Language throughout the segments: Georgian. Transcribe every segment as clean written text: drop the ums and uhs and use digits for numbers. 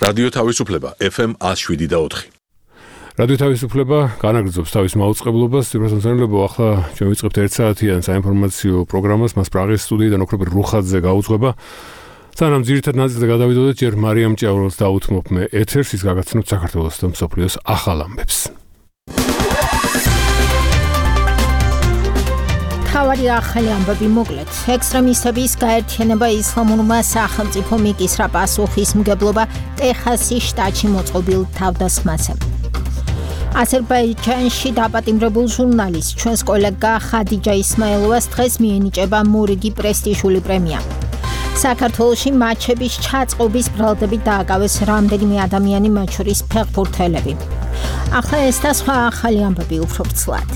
რადიო თავისუფლება FM 107.4. რადიო თავისუფლება განაგრძობს თავის მაუწყებლობას. სიბრასონცანლებო, ახლა ჩვენ ვიწყებთ 1 საათიან საინფორმაციო პროგრამას, მას პრაღის სტუდიიდან ოქროპირ რუხაძე გაუძღვება. სანამ ძირითად ნაწილზე გადავიდოდეთ, ჯერ მარიამ ჭიაურელს დაუთმობ მე ეთერს, ის გაგაცნობს საქართველოს და მსოფლიოს ახალ ამბებს. თავარი ახალი ამბები მოკლედ. ექსტრემისტების გაერთიანება ისლამურმა სახელმწიფო მიკისრა პასუხისმგებლობა ტეხასის შტატში მოწყობილ თავდასხმაზე. აზერბაიჯანში დაპატიმრებულ ჟურნალისტ ჩვენს კოლეგა ხადიჯა ისმაილოვას დღეს მიენიჭება მორიგი პრესტიჟული პრემია. საქართველოში მაჩების ჩაწყობის ბრალდებით დააკავეს რამდენიმე ადამიანი, მათ შორის ფეხბურთელები. ახლა ეს და სხვა ახალი ამბები უფრო ვრცლად.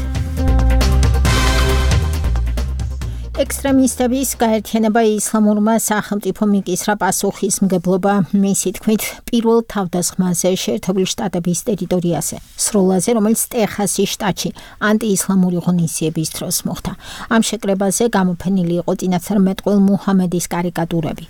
ექსტრემისტების გაერთიანება ისლამურმა სახელმწიფო მიკისრა პასუხისმგებლობა მისი თქმით პირველ თავდასხმაზე შეერთებული შტატების ტერიტორიაზე, სროლაზე, რომელიც ტეხასის შტატში ანტიისლამური ღონისძიების დროს მოხდა. ამ შეკრებაზე გამოფენილი იყო წინასწარ მეტყველ მუჰამედის კარიკატურები.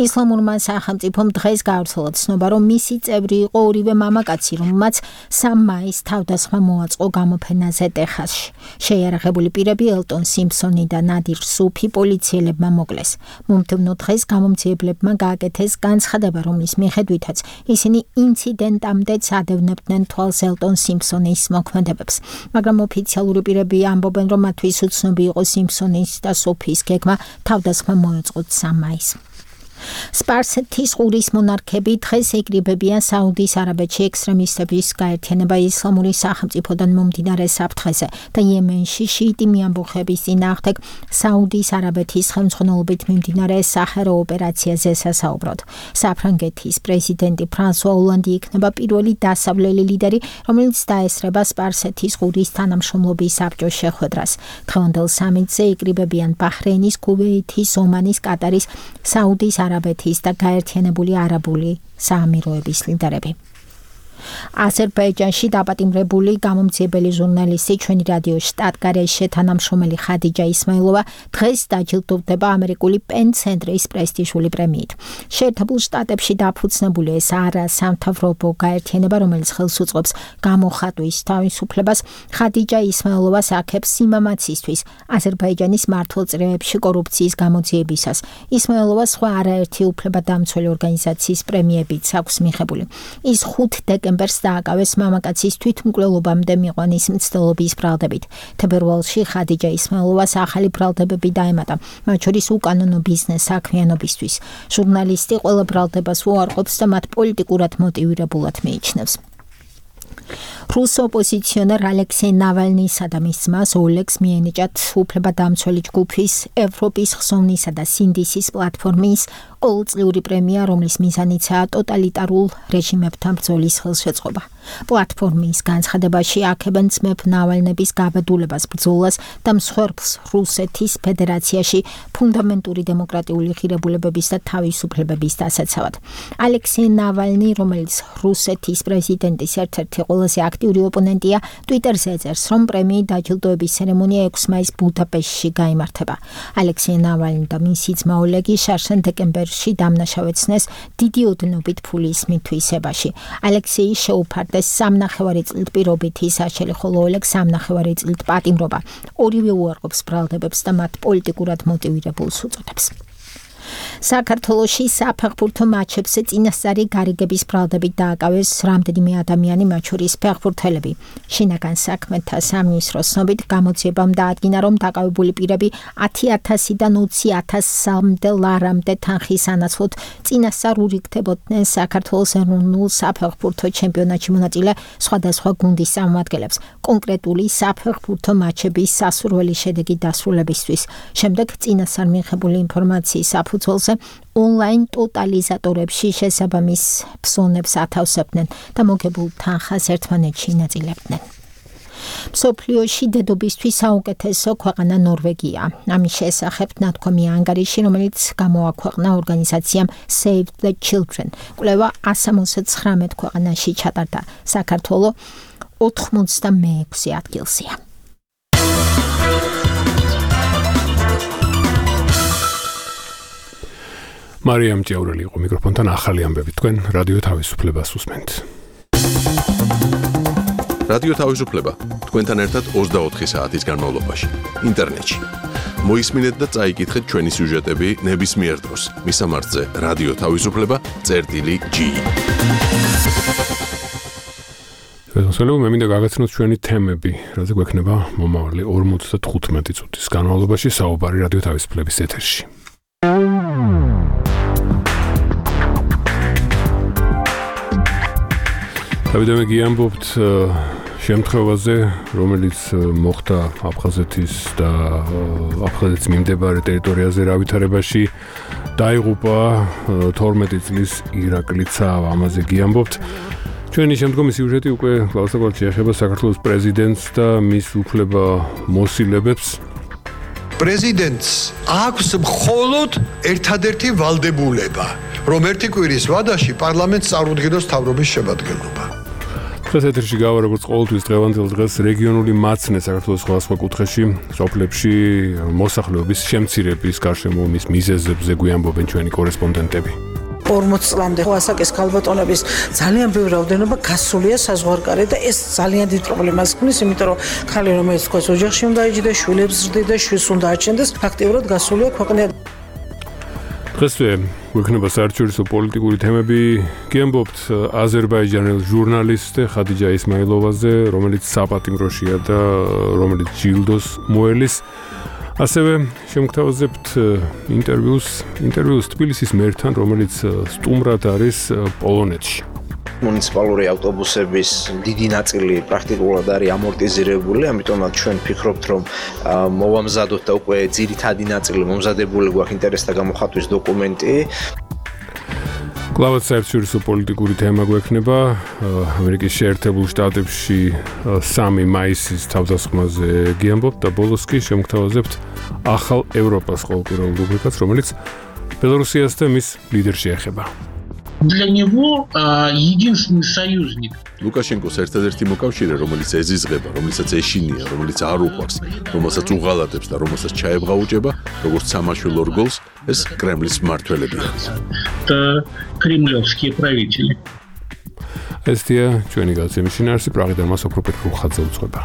ისლამურმა სახელმწიფომ დღეს გაავრცელა ცნობა, რომ მისი წევრი იყო ორივე მამაკაცი, რომელმაც 3 მაისს თავდასხმა მოაწყო გამოფენაზე ტეხასში. შეიარაღებული პირები ელტონ სიმფსონი და ნადირ სუფი პოლიციელებმა მოკლეს. მომდევნო დღეს გამომძიებლებმა გააკეთეს განცხადება, რომლის მიხედვითაც ისინი ინციდენტამდე წადევნებდნენ თვალს ელტონ სიმფსონის მოქმედებებს. მაგრამ ოფიციალური პირები ამბობენ, რომ მათთვის უცნობი იყო სიმფსონის და სუფის გეგმა თავდასხმა მოეწყოთ 3 მაისს. სპარსეთის ყურის მონარქები დღეს ეკრიბებიან საუდის არაბეთში ექსტრემისტების გაერთიანება ისლამური სახელმწიფოდან მომდინარე საფრთხეზე და იემენში შიიტი მიამბოხების წინააღმდეგ საუდის არაბეთის ხელმძღვანელობით მიმდინარე საჰარო ოპერაციაზე სასაუბროდ. საფრანგეთის პრეზიდენტი ფრანსუა ოლანდი იქნება პირველი დასავლელი ლიდერი, რომელიც დაესწრება სპარსეთის ყურის თანამშრომლობის საბჭოს შეხვედრას. დღევანდელ სამიტზე ეკრიბებიან ბაჰრეინის, ქუვეითის, ომანის, კატარის, საუდის არაბეთის და გაერთიანებული არაბული საამიროების ლიდერები. აზერბაიჯანში დაპატიმრებული გამომძიებელი ჟურნალისტი ჩვენი რადიო შტატგარეშე თანამშრომელი ხადიჯა ისმაილოვა დღეს დაჯილდოვდება ამერიკული პენ ცენტრის პრესტიჟული პრემიით. შეერთებულ შტატებში დაფუძნებული ეს არასამთავრობო გაერთიანება, რომელიც ხელს უწყობს გამოხატვის თავისუფლებას, ხადიჯა ისმაილოვას აქებს სიმამაცისთვის აზერბაიჯანის მმართველწრეებში კორუფციის გამოძიებისას. ისმაილოვა სხვა არაერთი უფლებადამცველი ორგანიზაციის პრემიებიც აქვს მიღებული. ის 5 დეკემბერს დააკავეს მამაკაცის თვითმკვლელობამდე მიყვანის მცდელობის ბრალდებით. თებერვალში ხადიჯა ისმაილოვას ახალი ბრალდებები დაემატა, მათ შორის უკანონო ბიზნეს საქმიანობისთვის. ჟურნალისტი ყველა ბრალდებას უარყოფს და მათ პოლიტიკურად მოტივირებულად მიიჩნევს. რუს ოპოზიციონერ ალექსეი ნავალნისა და მის ძმას ოლეგს მიენიჭათ უფლებადამცველი ჯგუფის ევროპის ხსოვნისა და სინდისის პლატფორმის ყოველწლიური პრემია, რომლის მიზანიცაა ტოტალიტარულ რეჟიმებთან ბრძოლის ხელშეწყობა. პლატფორმის განცხადებაში აქებენ ძმებ ნავალნების გაბედულებას, ბრძოლას და მსხვერპლს რუსეთის ფედერაციაში ფუნდამენტური დემოკრატიული ღირებულებების და თავისუფლებების დასაცავად. ალექსეი ნავალნი, რომელიც რუსეთის პრეზიდენტის ერთ-ერთი ყველაზე აქტიური ოპონენტია, ტვიტერზე ეწერს, რომ პრემიით დაჯილდოების ცერემონია 6 მაისს ბუდაპეშტში გაიმართება. ალექსეი ნავალნი და მისი ძმა ოლეგი შარშან დეკემბერში დამნაშავეცნეს დიდი ოდნობით ფულის მითვისებაში. ალექსეი შეუფარდეს 3,5 წლით პირობითი საშელი, ხოლო ოლეგს 3,5 წლით პატიმრობა. ორივე უარყოფს ბრალდებებს და მათ პოლიტიკურად მოტივირებულს უწოდებს. საქართველოში საფეხბურთო მატჩებზე წინასწარი გარიგების ბრალდებით დააკავეს რამდენიმე ადამიანი, მათ შორის ფეხბურთელები. შინაგან საქმეთა სამინისტროს ცნობით გამოძიებამ დაადგინა, რომ დაკავებული პირები 10,000-დან 20,000-მდე ლარამდე თანხის ანაცვლოდ წინასწარ ურიგდებოდნენ საქართველოს ეროვნულ საფეხბურთო ჩემპიონატში მონაწილე სხვადასხვა გუნდის წარმომადგენლებს კონკრეტული საფეხბურთო მატჩების სასურველი შედეგი დასრულებისთვის. შემდეგ წინასწარ მიღებული ინფორმაციის საფუძველზე ონლაინ ტოტალიზატორებში შესაბამის ფსონებს ათავსებდნენ და მოგებულ თანხას ერთმანეთში ინაწილებდნენ. მსოფლიოში დედობისთვის საუკეთესო ქვეყანა ნორვეგია. ამის შესახებ ნათქვამია ანგარიში, რომელიც გამოაქვეყნა ორგანიზაციამ Save the Children. კვლევა 179 ქვეყანაში ჩატარდა. საქართველო 86 ადგილზეა. მარიამ ჭიაურელი იყო მიკროფონთან ახალი ამბები თქვენ რადიო თავისუფლებას უსმენთ. რადიო თავისუფლება თქვენთან ერთად 24 საათის განმავლობაში ინტერნეტში. მოისმინეთ და წაიკითხეთ ჩვენი სიუჟეტები ნებისმიერ დროს. მისამართზე რადიო თავისუფლება.gi. მე მინდა გაგაცნოთ ჩვენი თემები, რაზე გვექნება მომავალი 45 წუთის განმავლობაში საუბარი რადიო თავისუფლების ეთერში. დავიდე გიამბობთ შემთხვევაზე, რომელიც მოხდა აფხაზეთის და აფხაზეთის მიმდებარე ტერიტორიაზე რავითარებაში დაიღუპა 12 წლის ირაკლი ცავა, ამაზე გიამბობთ. ჩვენი შემდგომი სიუჟეტი უკვე კლასიკურად შეეხება საქართველოს პრეზიდენტს და მის უფლება მოსილებებს. პრეზიდენტს აქვს მხოლოდ ერთადერთი ვალდებულება, რომ ერთი კვირის ვადაში პარლამენტს წარუდგინოს მთავრობის შემადგენლობა. დღეს ეთერში გავა როგორც ყოველთვის დღევანდელ დღეს რეგიონული მაცნე საქართველოს სხვადასხვა კუთხეში, სოფლებში მოსახლეობის შემცირების გარშემო მის მიზეზებზე გვიამბობენ ჩვენი კორესპონდენტები. 40 წლამდე ასაკის ქალბატონების ძალიან ბევრი რაოდენობა გასულია საზღვარგარეთ და ეს ძალიან დიდ პრობლემას ქმნის, იმიტომ რომ ხალი რომელიც თქვა ოჯახში უნდა იჯდეს, შვილებს ზრდიდა, შვილს უნდა აჩენდეს, ფაქტიურად გასულია ქვეყნიდან. დღესვე გვექნება საერთაშორისო პოლიტიკური თემები. გიამბობთ აზერბაიჯანელ ჟურნალისტ ხადიჯა ისმაილოვაზე, რომელიც საპატიმროშია და რომელიც ჯილდოს მოელის. ასევე შემოგთავაზებთ ინტერვიუს თბილისის მერთან, რომელიც სტუმრად არის პოლონეთში. მუნიციპალური ავტობუსების დიდი ნაწილი პრაქტიკულად არის ამორტიზირებული, ამიტომაც ჩვენ ვფიქრობთ, რომ მოვამზადოთ და უკვე ძირითადი ნაწილი მომზადებული გვაქვს ინტერესთა გამოხატვის დოკუმენტი. კლავაც საერთაშორისო პოლიტიკური თემა გვექნება ამერიკის შეერთებულ შტატებში 3 მაისის თავდასხმაზე გიამბობთ და ბოლოს კი შემოგთავაზებთ ახალ ევროპას ყოველკვირეულ რუბრიკას, რომელიც ბელორუსიას და მის ლიდერს შეეხება. Для него единственный союзник. ლუკაშენკოს ერთადერთი მოკავშირე, რომელიც ეზიზღება, რომელსაც ეშინია, რომელიც არ უყვარს, რომელსაც უღალატებს და რომელსაც ჩაებღაუჭება, როგორც სამაშველო რგოლს, ეს კრემლის მმართველებია. Это кремлевские правители. ესია ჩვენი გადაცემის შინაარსი, პრაღიდან მას ოქროპეტ რუხაძე უძღვება.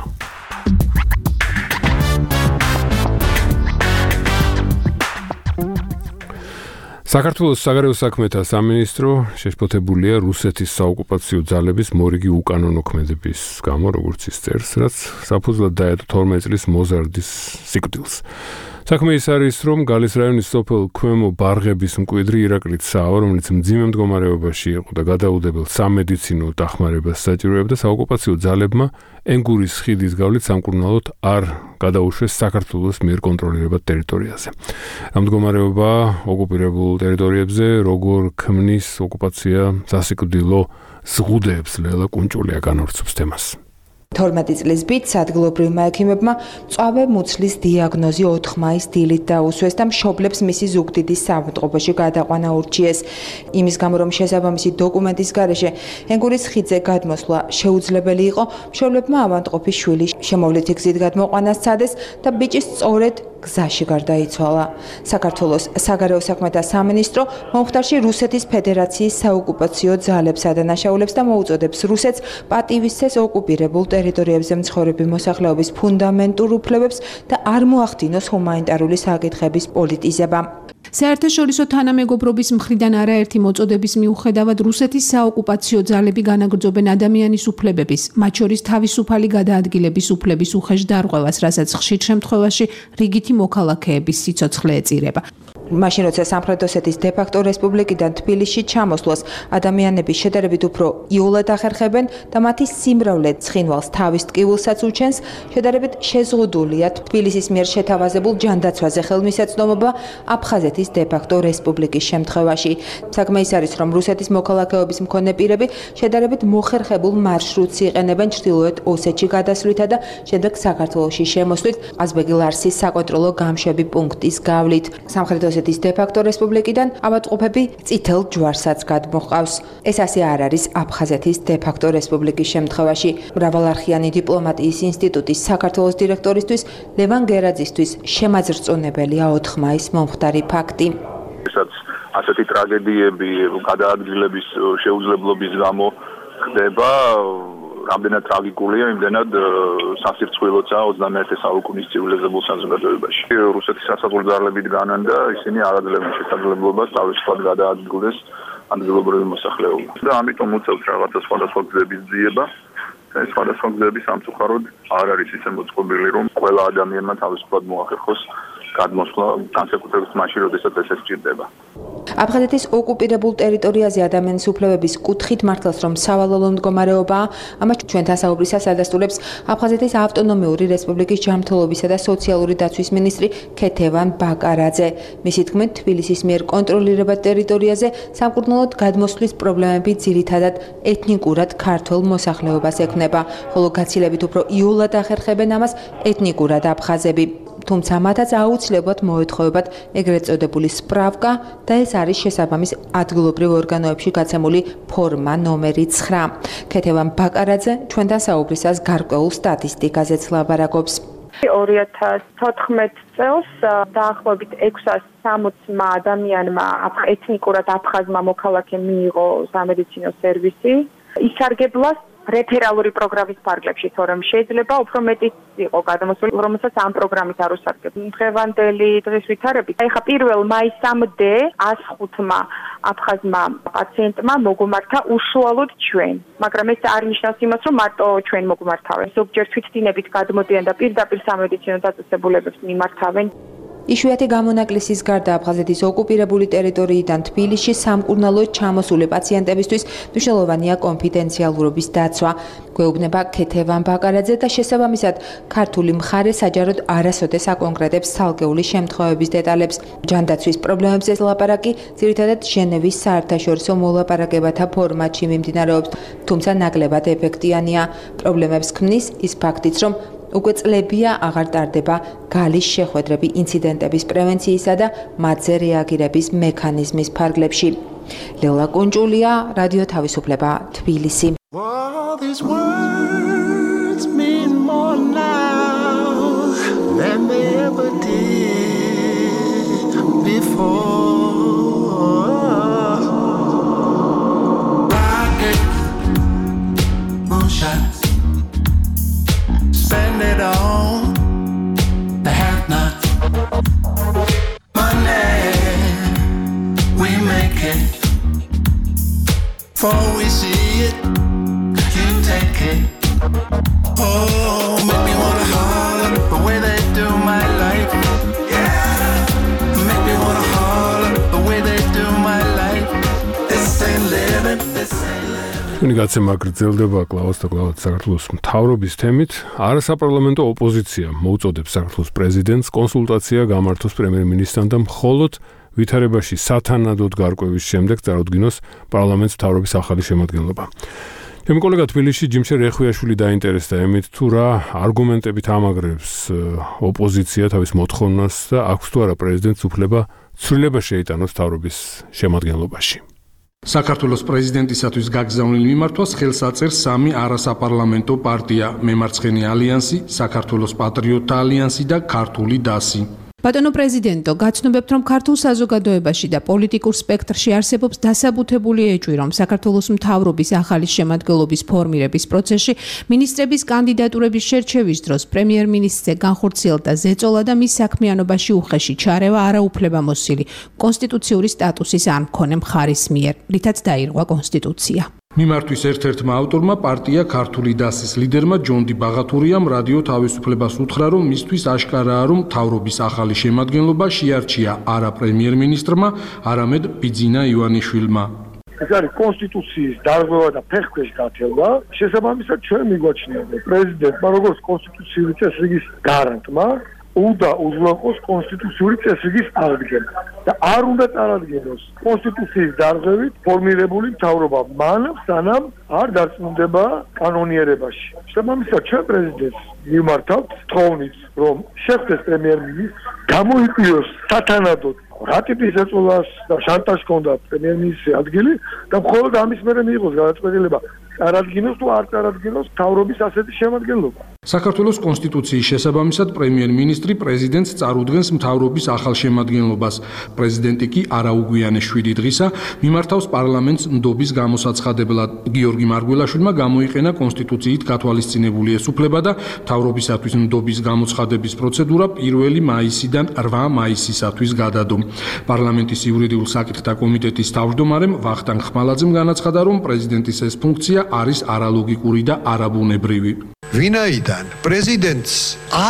საქართველოს საგარეო საქმეთა სამინისტრო შეშფოთებულია რუსეთის საოკუპაციო ძალების მორიგი უკანონო ქმედების გამო, როგორც ის წერს, რაც საფუძვლად დაედო 12 წლის მოზარდის სიკვდილს. საქმე ის არის, რომ გალის რაიონის სოფელ ქვემო ბარღების მკვიდრი ირაკლი ცავა, რომელიც მძიმე მდგომარეობაში იყო და გადაუდებელ სამედიცინო დახმარებას საჭიროებდა, საოკუპაციო ძალებმა ენგურის ხიდის გავლით სამკურნალოდ არ გადაუშვეს საქართველოს მიერ კონტროლირებად ტერიტორიაზე. ამ მდგომარეობა ოკუპირებულ ტერიტორიებზე როგორ ქმნის ოკუპაცია სასიკვდილო ზღუდეებს, ლელა კუნჭულია განავრცობს თემას. 12 წლის ბიჭს ადგილობრივმა ექიმებმა მწვავე მუცლის დიაგნოზი 4 მაისს დილით დაუსვეს და მშობლებს მისი ზუგდიდის საავადმყოფოში გადაყვანა ურჩიეს. იმის გამო, რომ შესაბამისი დოკუმენტის გარეშე ენგურის ხიდზე გადმოსვლა შეუძლებელი იყო, მშობლებმა ავადმყოფის შვილი შემოვლითი გზით გადმოყვანა სცადეს და ბიჭი სწორედ გზაში გარდაიცვალა. საქართველოს საგარეო საქმეთა სამინისტრო მომხდარში რუსეთის ფედერაციის საოკუპაციო ძალებს ადანაშაულებს და მოუწოდებს რუსეთს პატივისცეს ოკუპირებულ ტერიტორიებზე მცხოვრები მოსახლეობის ფუნდამენტურ უფლებებს და არ მოახდინოს ჰუმანიტარული საკითხების პოლიტიზება. საერთაშორისო თანამეგობრობის მხრიდან არაერთი მოწოდების მიუხედავად რუსეთის საოკუპაციო ძალები განაგრძობენ ადამიანის უფლებების, მათ შორის თავისუფალი გადაადგილების უფლების უხეშ დარღვევას, რასაც ხშირ შემთხვევაში რიგითი მოქალაქეების სიცოცხლე ეწირება. მაშინ როცა სამხრეთ ოსეთის დე-ფაქტო რესპუბლიკიდან თბილისში ჩამოსვლას ადამიანები შედარებით უფრო იოლად ახერხებენ და მათი სიმრავლე ცხინვალს თავის ტკივილსაც უჩენს, შედარებით შეზღუდულია თბილისის მიერ შეთავაზებულ ჯანდაცვაზე ხელმისაწვდომობა აფხაზეთის დე-ფაქტო რესპუბლიკის შემთხვევაში. საქმე ის არის, რომ რუსეთის მოქალაქეობის მქონე პირები შედარებით მოხერხებულ მარშრუტს იყენებენ ჩრდილოეთ ოსეთში გადასვლითა და შემდეგ საქართველოში შემოსვლით ყაზბეგი-ლარსის საკონტროლო გამშვები პუნქტის გავლით. სამხრეთ ოსეთის დე-ფაქტო რესპუბლიკიდან ავადმყოფები წითელ ჯვარსაც გადმოჰყავს. ეს ასე არ არის აფხაზეთის დე-ფაქტო რესპუბლიკის შემთხვევაში. მრავალარხიანი დიპლომატიის ინსტიტუტის საქართველოს დირექტორისთვის ლევან გერაძისთვის შემაძრწონებელია 4 მაისს მომხდარი ფაქტი. ესაც ასეთი ტრაგედიები გადაადგილების შეუძლებლობის გამო ხდება რამდენად ტრაგიკულია, იმდენად სასირცხვილოა 21 საუკუნის ცივილიზებულ საზოგადოებაში. რუსეთის სასაზღვრო ძალები დგანან და ისინი არ აძლევენ შესაძლებლობას თავისუფლად გადაადგილდეს ადგილობრივი მოსახლეობა. და ამიტომ უწევთ რაღაცა სხვადასხვა გზების ძიება. ეს სხვადასხვა გზები სამწუხაროდ არ არის ისე მოწყობილი, რომ ყველა ადამიანმა თავისუფლად მოახერხოს გადმოსვლა განსაკუთრებით მაშინ, როდესაც ეს სჭირდება. აფხაზეთის ოკუპირებულ ტერიტორიაზე ადამიანის უფლებების კუთხით მართლაც რომ სავალალო მდგომარეობაა, ამას ჩვენთან საუბრისას ადასტურებს აფხაზეთის ავტონომიური რესპუბლიკის ჯანმრთელობისა და სოციალური დაცვის მინისტრი ქეთევან ბაკარაძე. მისი თქმით, თბილისის მიერ კონტროლირებად ტერიტორიაზე სამკურნალოდ გადმოსვლის პრობლემები ძირითადად ეთნიკურად ქართველ მოსახლეობას ექმნება, ხოლო გაცილებით უფრო იოლად ახერხებენ ამას ეთნიკურად აფხაზები. თუმცა მათაც აუცილებლად მოეთხოვებათ ეგრეთ წოდებული სპრავკა და ეს არის შესაბამის ადგილობრივ ორგანოებში გაცემული ფორმა ნომერი 9. ქეთევან ბაკარაძე ჩვენთან საუბრისას გარკვეულ სტატისტიკაზეც ლაბარაკობს. 2014 წელს დაახლოებით 660 ადამიანმა ეთნიკურად აფხაზმა მოქალაქე მიიღო სამედიცინო სერვისი. ისარგებლას რეფერალური პროგრამის ფარგლებში, თორემ შეიძლება უფრო მეტი იყო გადამოსული, რომელსაც ამ პროგრამით არ უსარგებლო. დღევანდელი დღის ვითარებით, ეხა 1 მაისამდე 105-მა აფხაზმა პაციენტმა მოგუმართა უშუალოდ ჩვენ, მაგრამ ეს არ ნიშნავს იმას, რომ მარტო ჩვენ მოგუმართავენ. ზოგჯერ თვითდინებით გადმოდიან და პირდაპირ სამედიცინო დაწესებულებებს მიმართავენ. იშვიათი გამონაკლისის გარდა აფხაზეთის ოკუპირებული ტერიტორიიდან თბილისში სამკურნალოდ ჩამოსული პაციენტებისთვის მნიშვნელოვანია კონფიდენციალურობის დაცვა. გვეუბნება ქეთევან ბაკარაძე და შესაბამისად ქართული მხარე საჯაროდ არასოდეს აკონკრეტებს ცალკეული შემთხვევების დეტალებს. ჯანდაცვის პრობლემებზე ლაპარაკი ძირითადად ჟენევის საერთაშორისო მოლაპარაკებათა ფორმატში მიმდინარეობს, თუმცა ნაკლებად ეფექტიანია. პრობლემებს ქმნის ის ფაქტიც, რომ უკვე წლებია აღარ ტარდება გალის შეხვედრები ინციდენტების პრევენციისა და მათზე რეაგირების მექანიზმის ფარგლებში. ლელა კუნჭულია, რადიო თავისუფლება, თბილისი. Spend it all, the have-not money. We make it before we see it. You take it. Oh, make me wanna holler the way they do my life. Yeah, make me wanna holler the way they do my life. This ain't living. This ain't living. გაცემა გრძელდება კლაუს და კლაუს საქართველოს მთავრობის თემით. არასაპარლამენტო ოპოზიცია მოუწოდებს საქართველოს პრეზიდენტს კონსულტაცია გამართოს პრემიერ-მინისტრთან და მხოლოდ ვითარებაში სათანადოდ გარკვევის შემდეგ წარუდგინოს პარლამენტს მთავრობის ახალი შემადგენლობა. ჩემი კოლეგა თბილისში ჯიმშე რეხვიაშვილი დაინტერესდა ემით თუ რა არგუმენტებით ამაგრებს ოპოზიცია თავის მოთხოვნას და აქვს თუ არა პრეზიდენტს უფლება ცვლილება შეიტანოს მთავრობის შემადგენლობაში. საქართველოს პრეზიდენტისათვის გაგზავნილ მიმართვას ხელს აწერს სამი არასაპარლამენტო პარტია: მემარცხენე ალიანსი, საქართველოს პატრიოტთა ალიანსი და ქართული დასი. ბატონო პრეზიდენტო, გაცნობებთ, რომ ქართულ საზოგადოებაში და პოლიტიკურ სპექტრში არსებობს დასაბუთებული ეჭვი, რომ საქართველოს მთავრობის ახალი შემადგენლობის ფორმირების პროცესში მინისტრების კანდიდატურების შერჩევის დროს პრემიერ-მინისტრზე განხორციელდა ზეწოლა და მის საქმიანობაში უხეში ჩარევა არაუფლებამოსილი კონსტიტუციური სტატუსის არ მქონე მხარის მიერ, რითაც დაირღვა კონსტიტუცია. მიმართვის ერთ-ერთმა ავტორმა პარტია ქართული დასის ლიდერმა ჯონდი ბაღათურიამ რადიო თავისუფლებას უთხრა, რომ მისთვის აშკარაა, რომ მთავრობის ახალი შემადგენლობა შეარჩია არა პრემიერ-მინისტრმა, არამედ ბიძინა ივანიშვილმა. ეს არის კონსტიტუციის დარღვევა და ფეხქვეშ გათევა. შესაბამისად ჩვენ მიგვაჩნია პრეზიდენტმა როგორც კონსტიტუციური წესრიგის გარანტმა უნდა უზრუნველყოს კონსტიტუციური წესრიგის აღდგენა და არ უნდა წარადგინოს კონსტიტუციის დარღვევით ფორმირებული მთავრობა მანამ სანამ არ დარწმუნდება კანონიერებაში. შესაბამისად ჩვენ პრეზიდენტს მივმართავთ თხოვნით, რომ შეხვდეს პრემიერ-მინისტრს, გამოიკვლიოს სათანადოდ რა ტიპის ეწოლას და შანტაჟს ჰქონდა პრემიერ-მინისტრის ადგილი და მხოლოდ ამის მერე მიიღოს გადაწყვეტილება წარადგინოს თუ არ წარადგინოს მთავრობის ასეთი შემადგენლობა. საქართველოს კონსტიტუციის შესაბამისად პრემიერ-მინისტრი პრეზიდენტს წარუდგენს მთავრობის ახალ შემადგენლობას. პრეზიდენტი კი არაუგვიანეს 7 დღისა მიმართავს პარლამენტს ნდობის გამოსაცხადებლად. გიორგი მარგველაშვილმა გამოიყენა კონსტიტუციით გათვალისწინებული ეს უფლება და მთავრობისათვის ნდობის გამოცხადების პროცედურა 1 მაისიდან 8 მაისისათვის გადადო. პარლამენტის იურიდიულ საკითხთა კომიტეტის თავმჯდომარემ ვახტანგ ხმალაძემ განაცხადა, რომ პრეზიდენტის ეს ფუნქცია არის არალოგიკური და არაბუნებრივი. ვინაიდან პრეზიდენტს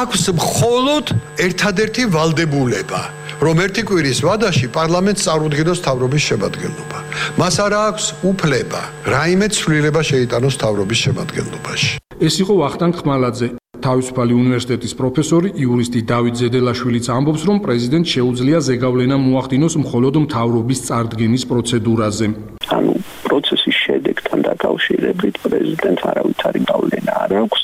აქვს მხოლოდ ერთადერთი ვალდებულება, რომ ერთი კვირის ვადაში პარლამენტს წარუდგინოს მთავრობის შემადგენლობა. მას არ აქვს უფლება რაიმე ცვლილება შეიტანოს მთავრობის შემადგენლობაში. ეს იყო ვახტანგ ხმალაძე. თავისუფალი უნივერსიტეტის პროფესორი, იურისტი დავით ზედელაშვილიც ამბობს, რომ პრეზიდენტს შეუძლია ზეგავლენა მოახდინოს მხოლოდ მთავრობის წარდგენის პროცედურაზე. ანუ პროცესის შედეგთან დაკავშირებით პრეზიდენტს არავითარი გავლენა არ აქვს.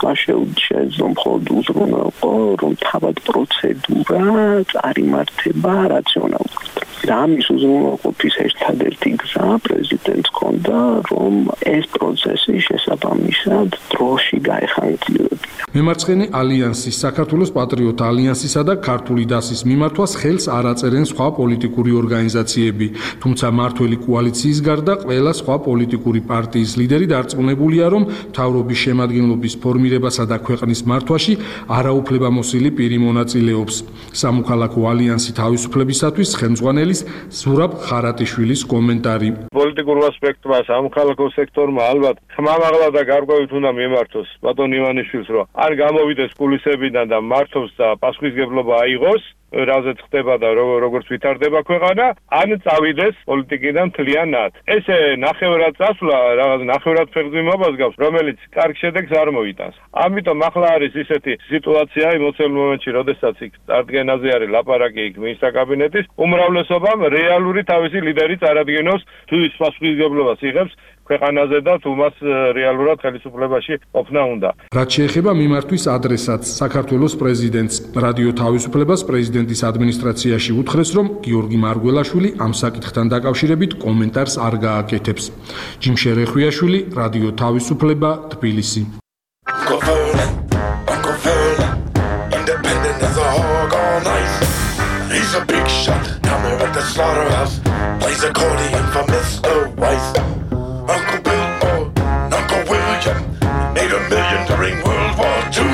მას შეეძლო მხოლოდ უზრუნველყო, რომ თავად პროცედურა წარიმართება რაციონალურად. და ამის უზრუნველყოფის ერთადერთი გზა პრეზიდენტს ჰქონდა, რომ ეს პროცესი შესაბამისად დროში გაეხანგრძლივებინა. მემარცხენე ალიანსის, საქართველოს პატრიოტთა ალიანსისა და ქართული დასის მიმართვას ხელს არ აწერენ სხვა პოლიტიკური ორგანიზაციები, თუმცა მართველი კოალიციის გარდა ყველა სხვა პოლიტიკური პარტიის ლიდერი დარწმუნებულია, რომ მთავრობის შემადგენლობის ფორმირებასა და ქვეყნის მართვაში არაუფლებამოსილი პირი მონაწილეობს. სამოქალაქო ალიანსი თავისუფლებისათვის ხელმძღვანელის ზურაბ ხარატიშვილის კომენტარი. პოლიტიკურ ასპექტმა სამოქალაქო სექტორმა ალბათ ხმამაღლა და გარკვევით უნდა მიემართოს ბატონ ივანიშვილს, რომ არ გამოვიდეს კულისებიდან და მართოს და პასუხისგებლობა აიღოს, რაზეც ხდება და როგორც ვითარდება ქვეყანა, ან წავიდეს პოლიტიკიდან მთლიანად. ესე ნახევრად წასვლა, რაღაც ნახევრად ფეხმძიმებას გავს, რომელიც კარგ შედეგს არ მოიტანს. ამიტომ ახლა არის ისეთი სიტუაცია იმოცემ მომენტში, როდესაც იქ წარდგენაზე არის ლაპარაკი იქ მინისტრთა კაბინეტის, უმრავლესობამ რეალური თავისი ლიდერი წარადგინოს, თუ ის პასუხისგებლობას იღებს ქვეყანაზე და თუ მას რეალურად ხელისუფლებაში ყოფნა უნდა. რაც შეეხება მიმართვის ადრესატს, საქართველოს პრეზიდენტს, რადიო თავისუფლებას პრეზიდენტის ადმინისტრაციაში უთხრეს, რომ გიორგი მარგველაშვილი ამ საკითხთან დაკავშირებით კომენტარს არ გააკეთებს. ჯიმშე რეხვიაშვილი, რადიო თავისუფლება, თბილისი. Uncle Bill or Uncle William made $1 million during World War II.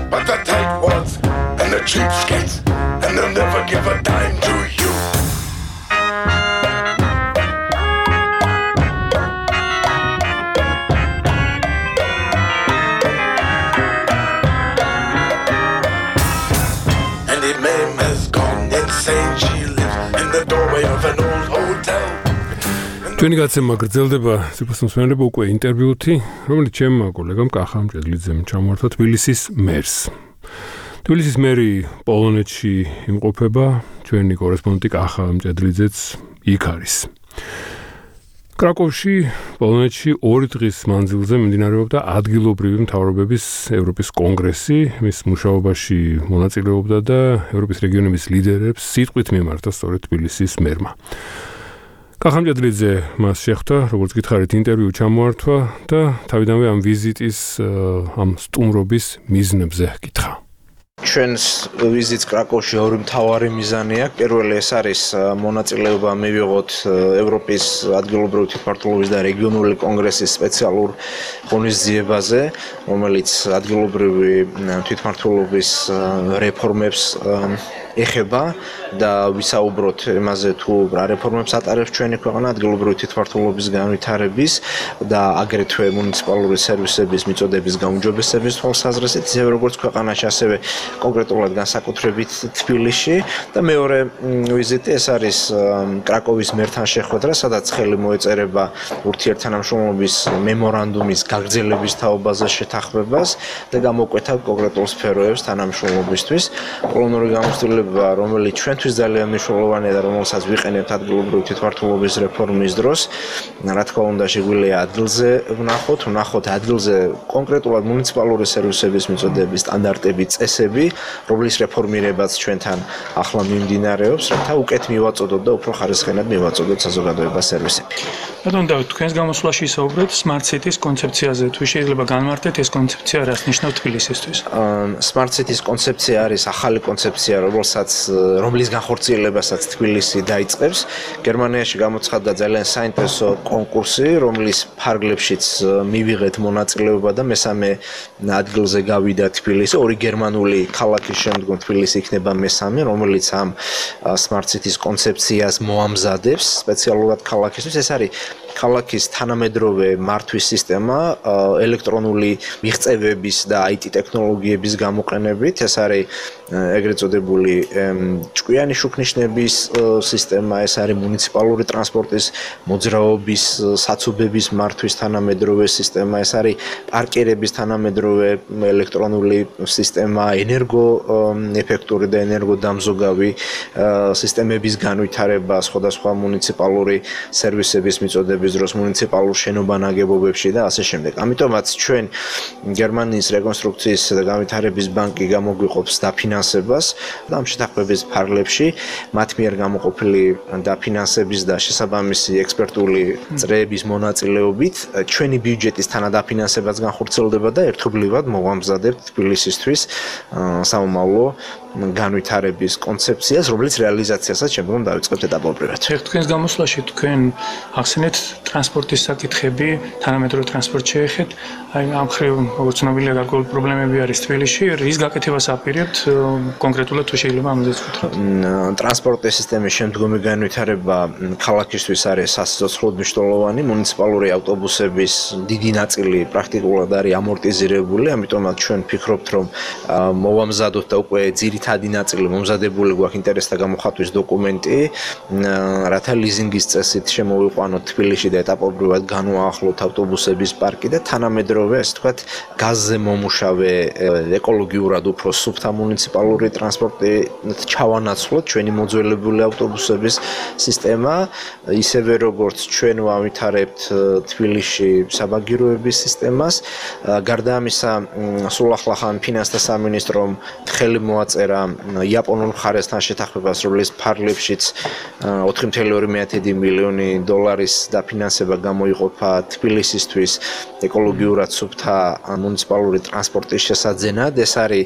But the tightwads and the cheapskates, and they'll never give a dime to you. And the meme has gone insane. She lives in the doorway of an old hotel. ჩვენი გაცემა გრძელდება სიბრალდებო უკვე ინტერვიუთი, რომელიც ჩემმა კოლეგამ კახა მჭედლიძემ ჩამოართვა თბილისის მერს. თბილისის მერი პოლონეთში იმყოფება, ჩვენი კორესპონდენტი კახა მჭედლიძეც იქ არის. კრაკოვში, პოლონეთში 2 დღის მანძილზე მიმდინარეობდა ადგილობრივი მთავრობების ევროპის კონგრესი, მის მუშაობაში მონაწილეობდა და ევროპის რეგიონების ლიდერებს სიტყვით მიმართა სწორედ თბილისის მერმა. კახამჭედლიძე მას შეხვდა, როგორც გითხარით, ინტერვიუ ჩამოართვა და თავიდანვე ამ ვიზიტის, ამ სტუმრობის მიზნებზე გითხრა. ჩვენს ვიზიტს კრაკოვში ორი მთავარი მიზანი აქვს. პირველი ეს არის მონაწილეობა მივიღოთ ევროპის ადგილობრივი თვითმმართველობის და რეგიონული კონგრესის სპეციალურ ღონისძიებაზე, რომელიც ადგილობრივი თვითმმართველობის რეფორმებს ეხება და ვისაუბროთ იმაზე თუ რა რეფორმებს ატარებს ჩვენი ქვეყანა ადგილობრივი თვითმმართველობის განვითარების და აგრეთვე მუნიციპალური სერვისების მიწოდების გაუმჯობესების თვალსაზრისით, ისევე როგორც ქვეყანაში, ასევე კონკრეტულად განსაკუთრებით თბილისში. და მეორე ვიზიტი ეს არის კრაკოვის მერთან შეხვედრა, სადაც ხელი მოეწერება ურთიერთთანამშრომლობის მემორანდუმის გაგრძელების თაობაზე შეთანხმებას და გამოკვეთა კონკრეტულ სფეროებს თანამშრომლობისთვის. პოლონური გამოცდილება, რომელიც ჩვენთვის ძალიან მნიშვნელოვანია და რომელსაც ვიყენებთ ადგილობრივი თვითმმართველობის რეფორმის დროს, რა თქმა უნდა, შეგვიძლია ადგილზე ვნახოთ ადგილზე კონკრეტულად მუნიციპალური სერვისების მიწოდების სტანდარტები, წესები სისტემები, რომლის რეფორმირებაც ჩვენთან ახლა მიმდინარეობს, რათა უკეთ მივაწოდოთ და უფრო ხარისხენად მივაწოდოთ საზოგადოებას სერვისები. ბატონო დავით, თქვენს გამოსვლაში ისაუბრეთ Smart City-ს კონცეფციაზე. თუ შეიძლება განმარტეთ ეს კონცეფცია რას ნიშნავს თბილისისთვის? Smart City-ს კონცეფცია არის ახალი კონცეფცია, რომლის განხორციელებასაც თბილისი დაიწყებს. გერმანიაში გამოცხადდა ძალიან საინტერესო კონკურსი, რომლის ფარგლებშიც მივიღეთ მონაწილეობა და მესამე ადგილზე გავიდა თბილისი. ორი გერმანული ქალაქის შემდგომ თბილისი იქნება მესამე, რომელიც ამ Smart City-ს კონცეფციას მოამზადებს სპეციალურად ქალაქისთვის. ეს არის ქალაქის თანამედროვე მართვის სისტემა ელექტრონული მიღწევების და IT ტექნოლოგიების გამოყენებით. ეს არის ეგრეთ წოდებული ჭკვიანი შუქნიშნების სისტემა, ეს არის მუნიციპალური ტრანსპორტის მოძრაობის საცობების მართვის თანამედროვე სისტემა, ეს არის პარკირების თანამედროვე ელექტრონული სისტემა, ენერგოეფექტური და ენერგოდამზოგავი სისტემების განვითარება სხვადასხვა მუნიციპალური სერვისების მიწოდების დროს მუნიციპალურ შენობა-ნაგებობებში და ასე შემდეგ. ამიტომაც ჩვენ გერმანიის რეკონსტრუქციის და განვითარების ბანკი გამოგვიყოფს დაფინანსებას და ამ შეთანხმების ფარგლებში მათ მიერ გამოყოფილი დაფინანსების და შესაბამისი ექსპერტული წრეების მონაწილეობით ჩვენი ბიუჯეტის თანადაფინანსებაც განხორციელდება და ერთობლივად მოვამზადებთ თბილისისთვის სამომავლო განვითარების კონცეფციას, რომელიც რეალიზაციასაც შემდგომ დავიწყებთ ეტაპობრივად. თქვენს გამოსვლაში თქვენ ახსენეთ ტრანსპორტის საკითხები, თანამედროვე ტრანსპორტ შეეხეთ. აი ამ ხრივ როგორც ცნობილია გარკვეული პრობლემები არის თბილისში. რის გაკეთებას აპირებთ კონკრეტულად თუ შეიძლება ამაზე ვთქვით? ტრანსპორტის სისტემის შემდგომი განვითარება ქალაქისთვის არის სასიცოცხლოდ მნიშვნელოვანი. მუნიციპალური ავტობუსების დიდი ნაწილი პრაქტიკულად არის ამორტიზირებული, ამიტომაც ჩვენ ვფიქრობთ, რომ მოვამზადოთ და უკვე ძირითადი ნაწილი მომზადებული გვაქვს ინტერესთა გამოხატვის დოკუმენტი, რათა ლიზინგის წესით შემოვიყვანოთ თბილისში და ეტაპობრივად განვაახლოთ ავტობუსების პარკი და თანამედროვე, ასე ვთქვათ, გაზზე მომუშავე ეკოლოგიურად უფრო სუფთა მუნიციპალური ტრანსპორტი ჩავანაცვლოთ ჩვენი მოძველებული ავტობუსების სისტემა, ისევე როგორც ჩვენ ვავითარებთ თბილისში საბაგიროების სისტემას. გარდა ამისა, სულ ახლახან ფინანსთა სამინისტრომ ხელი მოაწერა იაპონურ მხარესთან შეთანხმებას, რომლის ფარგლებშიც 4.2 მილიონი დოლარის დაფინანსება გამოიყოფა თბილისისთვის ეკოლოგიურად სუფთა მუნიციპალური ტრანსპორტის შესაძენად. ეს არის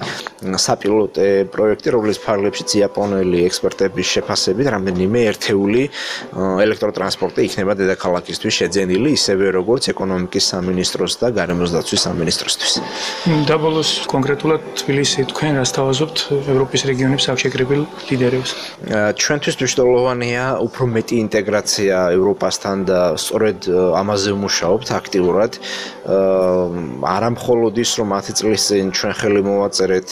საპილოტო პროექტი, რომლის ფარგლებშიც იაპონელი ექსპერტების შეფასებით რამდენიმე ერთეული ელექტროტრანსპორტი იქნება დედაქალაქისთვის შეძენილი, ისევე როგორც ეკონომიკის სამინისტროს და გარემოს დაცვის სამინისტროსთვის. და ბოლოს კონკრეტულად თბილისი თქვენ რას თავაზობთ ევროპის რეგიონის აქშეკრებილ ლიდერებს? ჩვენთვის მნიშვნელოვანია უფრო მეტი ინტეგრაცია ევროპასთან და სწორედ ამაზე ვმუშაობთ აქტიურად. არა მხოლოდ ის, რომ 10 წლის წინ ჩვენ ხელი მოვაწერეთ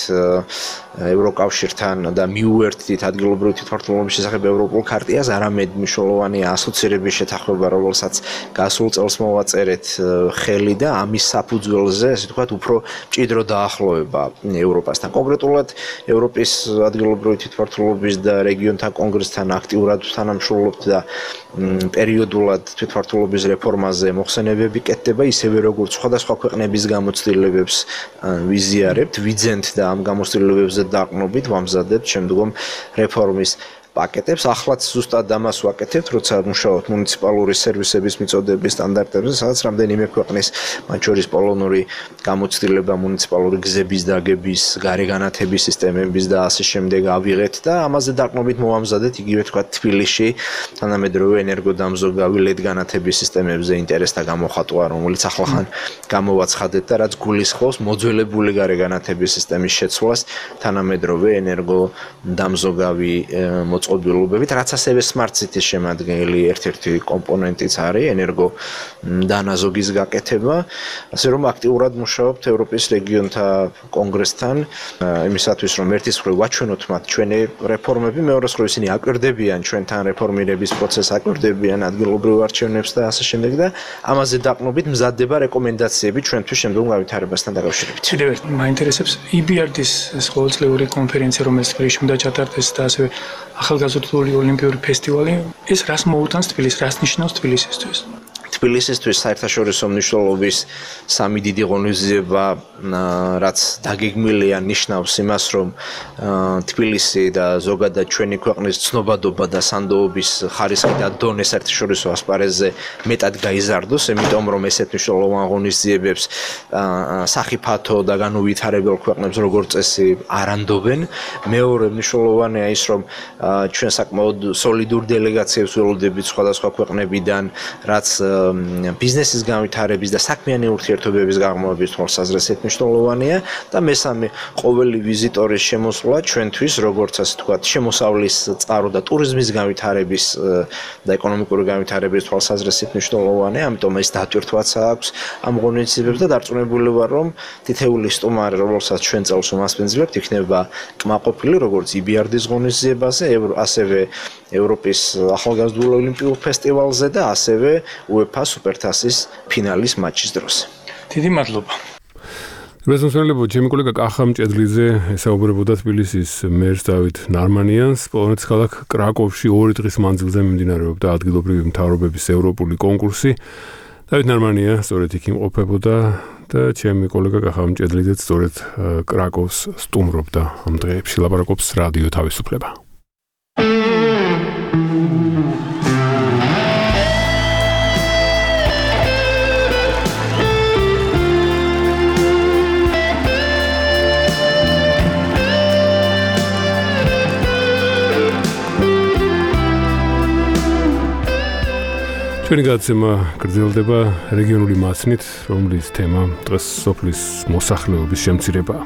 ევროკავშირთან და მიუერთდით ადგილობრივი თვითმმართველობის შესახებ ევროპულ ქარტიას, არამედ მნიშვნელოვანია ასოცირების შეთანხმება, რომელსაც გასულ წელს მოვაწერეთ ხელი და ამის საფუძველზე, ასე ვთქვათ, უფრო მჭიდრო დაახლოება ევროპასთან. კონკრეტულად ევროპის ადგილობრივი თვითმმართველობის და რეგიონთა კონგრესთან აქტიურად თანამშრომლობთ და პერიოდულად თვითმმართველობის რეფორმაზე მოხსენებები კეთდება, ისევე როგორც სხვადასხვა ქვეყნების გამოცდილებებს ვიზიარებთ, ვიძენთ და ამ გამოცდილებებზე დაყრდნობით ვამზადებთ შემდგომ რეფორმის პაკეტებს. ახლაც ზუსტად ამას ვაკეთებთ, როცა მუშაობთ მუნიციპალური სერვისების მიწოდების სტანდარტებზე, სადაც რამდენიმე ქვეყნის, მათ შორის პოლონური გამოცდილება მუნიციპალური გზების დაგების, გარეგანათების სისტემების და ასე შემდეგ ავიღეთ და ამაზე დაყრდნობით მოვამზადეთ იგივე თქვა თბილისში თანამედროვე ენერგოდამზოგავი LED განათების სისტემებზე ინტერესთა გამოხატვა, რომელიც ახლახან გამოვაცხადეთ და რაც გულისხმობს მოძველებული გარეგანათების სისტემის შეცვლას თანამედროვე ენერგოდამზოგავი მოწყობილობებით, რაც ასევე Smart City-ს შემადგენელი ერთ-ერთი კომპონენტიც არის ენერგო დანაზოგის გაკეთება, ასე რომ აქტიურად მუშაობთ ევროპის რეგიონთა კონგრესთან იმისათვის, რომ ერთის მხრივ ვაჩვენოთ მათ ჩვენი რეფორმები, მეორეს მხრივ ისინი აკვირდებიან ჩვენთან რეფორმირების პროცესს, აკვირდებიან ადგილობრივ არჩევნებს და ასე შემდეგ და ამაზე დაყრდნობით მზადდება რეკომენდაციები ჩვენთვის შემდგომ განვითარებასთან დაკავშირებით. კიდევ ერთ მაინტერესებს EBRD-ის ეს ყოველწლიური კონფერენცია, რომელიც თბილისში უნდა ჩატარდეს და ასევე ახალგაზრდული ოლიმპიური ფესტივალი, ეს რას მოუტანს თბილისს, რას ნიშნავს თბილისისთვის? თბილისისთვის საერთაშორისო მნიშვნელობის სამი დიდი ღონისძიება, რაც დაგეგმილია, ნიშნავს იმას, რომ თბილისი და ზოგადად ჩვენი ქვეყნის ცნობადობა და სანდოობის ხარისხი და დონე საერთაშორისო ასპარეზზე მეტად გაიზარდოს, იმიტომ რომ ესეთ მნიშვნელოვან ღონისძიებებს სახიფათო და განუვითარებელ ქვეყნებს როგორც წესი არ ანდობენ. მეორე მნიშვნელოვანია ის, რომ ჩვენ საკმაოდ სოლიდურ დელეგაციებს ველოდებით სხვადასხვა ქვეყნებიდან, რაც ბიზნესის განვითარების და საქმიანი ურთიერთობების გაღრმავების თვალსაზრისით მნიშვნელოვანია და მესამე, ყოველი ვიზიტორის შემოსვლა ჩვენთვის, როგორც ასე ვთქვათ, შემოსავლის წყარო და ტურიზმის განვითარების და ეკონომიკური განვითარების თვალსაზრისით მნიშვნელოვანია, ამიტომ ეს დატვირთვაც აქვს ამ ღონისძიებებს და დარწმუნებული ვარ, რომ თითეული სტუმარი, რომელსაც ჩვენ წელს უმასპინძლებთ, იქნება კმაყოფილი როგორც EBRD-ის ღონისძიებაზე, ასევე ევროპის ახალგაზრდულ ოლიმპიურ ფესტივალზე და ასევე UEFA სუპერთასის ფინალის მატჩის დროს. დიდი მადლობა. რეზონსონლებო ჩემი კოლეგა კახა მჭედლიძე ესაუბრებოდა თბილისის მერს დავით ნარმანიანს. პოლონეთის ქალაქ კრაკოვში 2 დღის მანძილზე მიმდინარეობდა ადგილობრივი მთავრობების ევროპული კონკურსი. დავით ნარმანია სწორედ იქ იმყოფებოდა და ჩემი კოლეგა კახა მჭედლიძეც სწორედ კრაკოვს სტუმრობდა ამ დღეებში. ლაპარაკობს რადიო თავისუფლება. ჩვენი გადაცემა გრძელდება რეგიონული მასნით, რომლის თემა დღეს სოფლის მოსახლეობის შემცირებაა.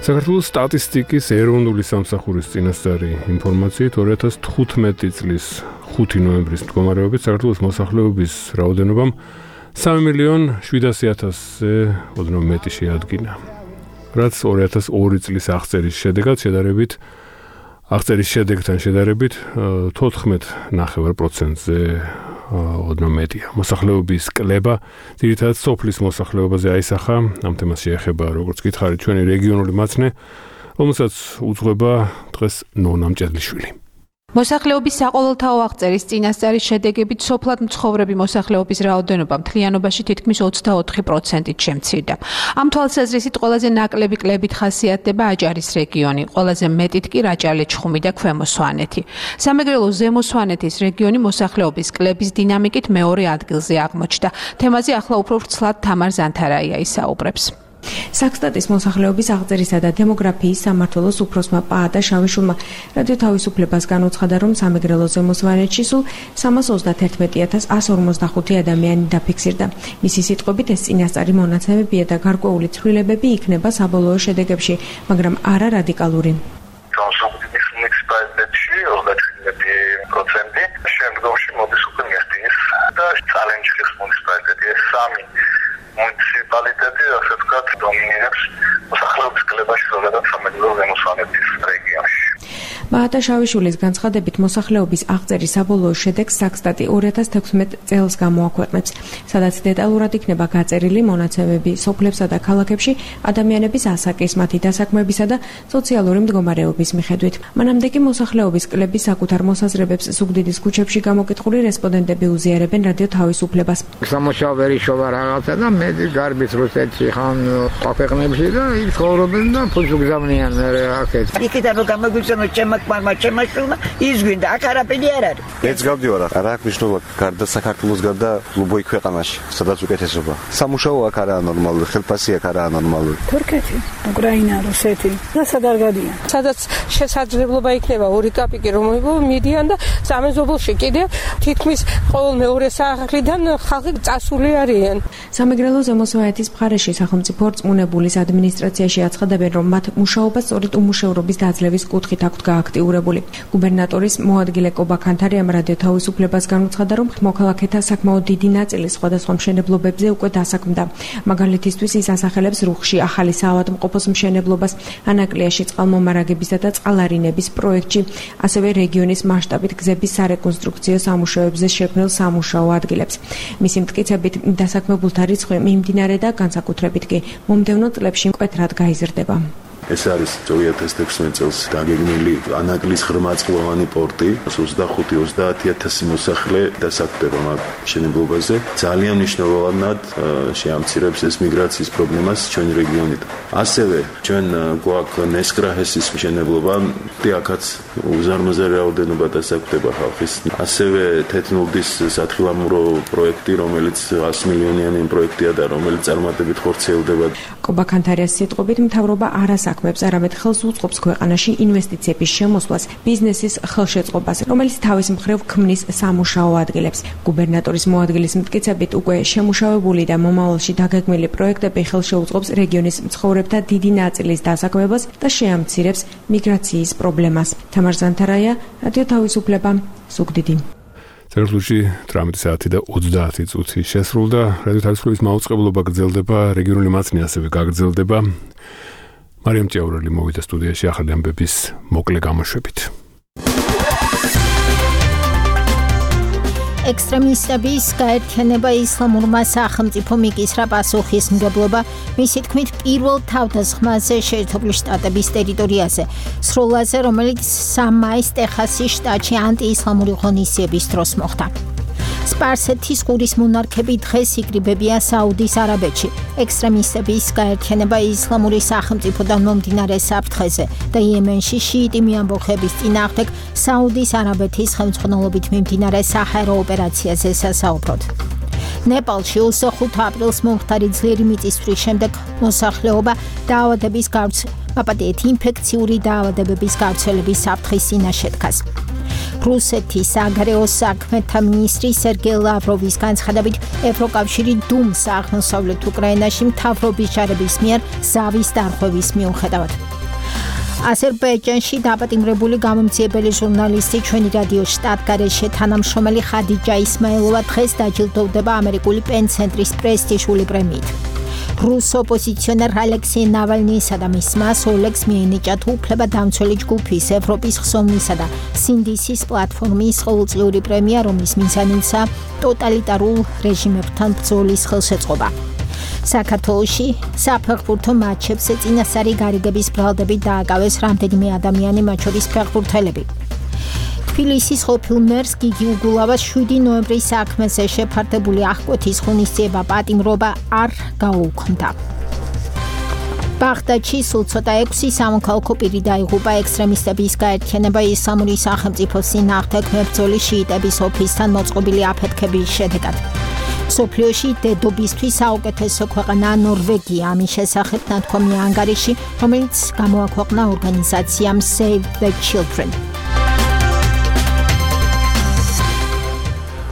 საქართველოს სტატისტიკის ეროვნული სამსახურის წინასწარი ინფორმაციით 2015 წლის 5 ნოემბრის მდგომარეობით საქართველოს მოსახლეობის რაოდენობამ 3.700.000-ზე ოდნავ მეტი შეადგინა. რაც 2002 წლის აღწერის შედეგთან შედარებით 14.9%-ზე ოდნავ მეტია. მოსახლეობის კლება ძირითადად სოფლის მოსახლეობაზე აისახა. ამ თემას შეეხება, როგორც გითხარით, ჩვენი რეგიონული მაცნე, რომელსაც უძღვება დღეს ნონა მჭედლიშვილი. მოსახლეობის საყოველთაო აღწერის წინასწარი შედეგებით სოფლად მცხოვრები მოსახლეობის რაოდენობა მთლიანობაში თითქმის 24%-ით შემცირდა. ამ თვალსაზრისით ყველაზე ნაკლები კლებით ხასიათდება აჭარის რეგიონი, ყველაზე მეტით კი რაჭა-ლეჩხუმი და ქვემო სვანეთი. სამეგრელოს ზემო სვანეთის რეგიონი მოსახლეობის კლების დინამიკით მეორე ადგილზე აღმოჩნდა. თემაზე ახლა უფრო ვრცლად თამარ ზანთარაია ისაუბრებს. საქსტატის მოსახლეობის აღწერისა და დემოგრაფიის სამმართველოს უფროსმა პაატა შავიშულმა რადიო თავისუფლებას განუცხადა, რომ სამეგრელოს ზემო სვანეთში სულ 311.145 ადამიანი დაფიქსირდა. მისი სიტყვებით ეს წინასწარი მონაცემებია და გარკვეული ცვლილებები იქნება საბოლოო შედეგებში, მაგრამ არა რადიკალური. შემდგომში მოდის უკვე მიხდის და ჩალენჯის მუნიციპალიტეტი ეს სამი მუნიციპალიტეტი ასე ვთქვათ დომინირებს მოსახლეობის კლებაში ზოგადად სამეგრელოს ზემო სვანეთის რეგიონში. პაატა შავიშვილის განცხადებით მოსახლეობის აღწერის საბოლოო შედეგს საქსტატი 2016 წელს გამოაქვეყნებს, სადაც დეტალურად იქნება გაწერილი მონაცემები სოფლებსა და ქალაქებში ადამიანების ასაკის, მათი დასაქმებისა და სოციალური მდგომარეობის მიხედვით. მანამდე კი მოსახლეობის კლების საკუთარ მოსაზრებებს ზუგდიდის ქუჩებში გამოკითხული რესპონდენტები უზიარებენ რადიო თავისუფლებას. სამუშაო შოვა რაღაცა და მე გარბის რუსეთში ხან ქვეყნებში და იქ ცხოვრობენ და ფულს უგზავნიან აქეთ. იქიდან რომ გამოგვიწონოთ ჩემაშვილმა ის გვინდა აქ არაფერი არ არის. მეც გავდივარ აქ, არა აქვს მნიშვნელობა გარდა საქართველოს გარდა ლუბოი ქვეყანაში, სადაც უკეთესობა. სამუშაო აქ არაა ნორმალური, ხელფასი აქ არაა ნორმალური. თურქეთი, უკრაინა, რუსეთი და სადარ გადიან. სადაც შესაძლებლობა იქნება ორი კაპიკი რომ მიდიან და სამეზობლოში კიდე თითქმის ყოველ მეორე სახლიდან ხალხი წასული არიან. სამეგრელოს ზემო სვანეთის მხარეში სახელმწიფო რწმუნებულის ადმინისტრაციაში აცხადებენ, რომ მათ მუშაობა სწორედ უმუშევრობის დაძლევის კუთხით აქვთ გააქტიურებული. გუბერნატორის მოადგილე კობა ქანთარიამ რადიო თავისუფლებას განუცხადა, რომ მოქალაქეთა საკმაოდ დიდი ნაწილი სხვადასხვა მშენებლობებზე უკვე დასაქმდა. მაგალითისთვის ის ასახელებს რუხში ახალი საავადმყოფოს მშენებლობას, ანაკლიაში წყალმომარაგებისა და წყალარინების პროექტში, ასევე რეგიონის მასშტაბით გზების სარეკონსტრუქციო სამუშაოებზე შექმნილ სამუშაო ადგილებს. მისი მტკიცებით დასაქმებულთა რიცხვი მიმდინარე და განსაკუთრებით კი მომდევნო წლებში მკვეთრად გაიზრდება. ეს არის 2016 წელს დაგეგმილი ანაკლის ღრმაწყლოვანი პორტი 25-30 მოსახლე დასაქმდება მაგ მშენებლობაზე. ძალიან მნიშვნელოვნად შეამცირებს ეს მიგრაციის პრობლემას ჩვენი რეგიონიდან. ასევე ჩვენ გვაქვს ნესკრაჰესის მშენებლობა, აქაც უზარმაზარი რაოდენობა დასაქმდება ხალხის. ასევე თეთნულდის სათხილამურო პროექტი, რომელიც 100 მილიონიანი პროექტია და რომელიც წარმატებით ხორციელდება. კობა ქანთარიას სიტყვებით მთავრობა არ ასაქმებს, არამედ ხელს უწყობს ქვეყანაში ინვესტიციების შემოსვლას, ბიზნესის ხელშეწყობას, რომელიც თავის მხრივ ქმნის სამუშაო ადგილებს. გუბერნატორის მოადგილის მტკიცებით უკვე შემუშავებული და მომავალში დაგეგმილი პროექტები ხელშეუწყობს რეგიონის მცხოვრებთა დიდი ნაწილის დასაქმებას და შეამცირებს მიგრაციის პრობლემას. თამარ ზანთარაია, რადიო თავისუფლება, ზუგდიდი. საქართველოში 18 საათი და 30 წუთი შესრულდა. რადიო თავისუფლების მაუწყებლობა გრძელდება, რეგიონული მაცნე ასევე გაგრძელდება. მარიამ ჭიაურელი მოვიდა სტუდიაში ახალი ამბების მოკლე გამოშვებით. ექსტრემისტების გაერთიანება ისლამურმა სახელმწიფო მიკისრა პასუხისმგებლობა, მისი თქმით, პირველ თავდასხმაზე შეერთებული შტატების ტერიტორიაზე, სროლაზე, რომელიც 3 მაისს ტეხასის შტატში ანტიისლამური ღონისძიების დროს მოხდა. სპარსეთის ყურის მონარქები დღეს იკრიბებია საუდის არაბეთში. ექსტრემისტების გაერთიანება ისლამური სახელმწიფოდან მომდინარე საფრთხეზე და იემენში შიიტი მიამბოხების წინააღმდეგ საუდის არაბეთის ხელმძღვანელობით მიმდინარე საჰაერო ოპერაციაზე სასაუბროდ. ნეპალში 25 აპრილს მომხდარი ძლიერი მიწისძვრის შემდეგ მოსახლეობა დაავადების ინფექციური დაავადებების გავრცელების საფრთხის წინაშე დგას. რუსეთის საგარეო საქმეთა მინისტრი სერგეი ლავროვის განცხადებით, ევროკავშირი დუმს აღმოსავლეთ უკრაინაში მთავრობის ჯარების მიერ ზავის დარღვევის მიუხედავად. აზერბაიჯანში დაპატიმრებული გამომძიებელი ჟურნალისტი ჩვენი რადიოს შტატგარეშე თანამშრომელი ხადიჯა ისმაილოვა დღეს დაჯილდოვდება ამერიკული პენ-ცენტრის პრესტიჟული პრემიით. რუს ოპოზიციონერ ალექსეი ნავალნიისა და მის მას ოლეგს მიენიჭათ უფლება დამცველი ჯგუფის ევროპის ხსოვნისა და სინდისის პლატფორმის ყოველწლიური პრემია, რომლის მიზანიცაა ტოტალიტარულ რეჟიმებთან ბრძოლის ხელშეწყობა. საქართველოში საფეხბურთო მატჩებზე წინასწარი გარიგების ბრალდებით დააკავეს რამდენიმე ადამიანი, მათ შორის ფეხბურთელები. თბილისის ყოფილ მერს გიგი უგულავას 7 ნოემბრის საქმეზე შეფარდებული აღკვეთის ღონისძიება პატიმრობა არ გაუქმდა. ბაღდადში სულ ცოტა 6 სამოქალაქო პირი დაიღუპა ექსტრემისტების გაერთიანება ისლამური სახელმწიფოს წინააღმდეგ მებრძოლი შიიტების ოფისთან მოწყობილი აფეთქების შედეგად. მსოფლიოში დედობისთვის საუკეთესო ქვეყანაა ნორვეგია, ამის შესახებ ნათქვამია ანგარიში, რომელიც გამოაქვეყნა ორგანიზაციამ Save the Children.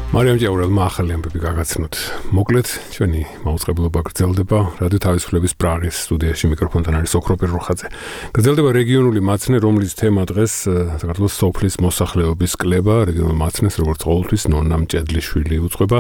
მარიამ ჭიაურელმა ახალი ამბები გაგაცნოთ. მოკლედ, ჩვენი მაუწყებლობა გრძელდება. რადიო თავისუფლების პრაღის სტუდიაში მიკროფონთან არის ოქროპირ როხაძე. გრძელდება რეგიონული მაცნე, რომლის თემა დღეს საქართველოს სოფლის მოსახლეობის კლება. რეგიონულ მაცნეს, როგორც ყოველთვის, ნონა მჭედლიშვილი უძღვება.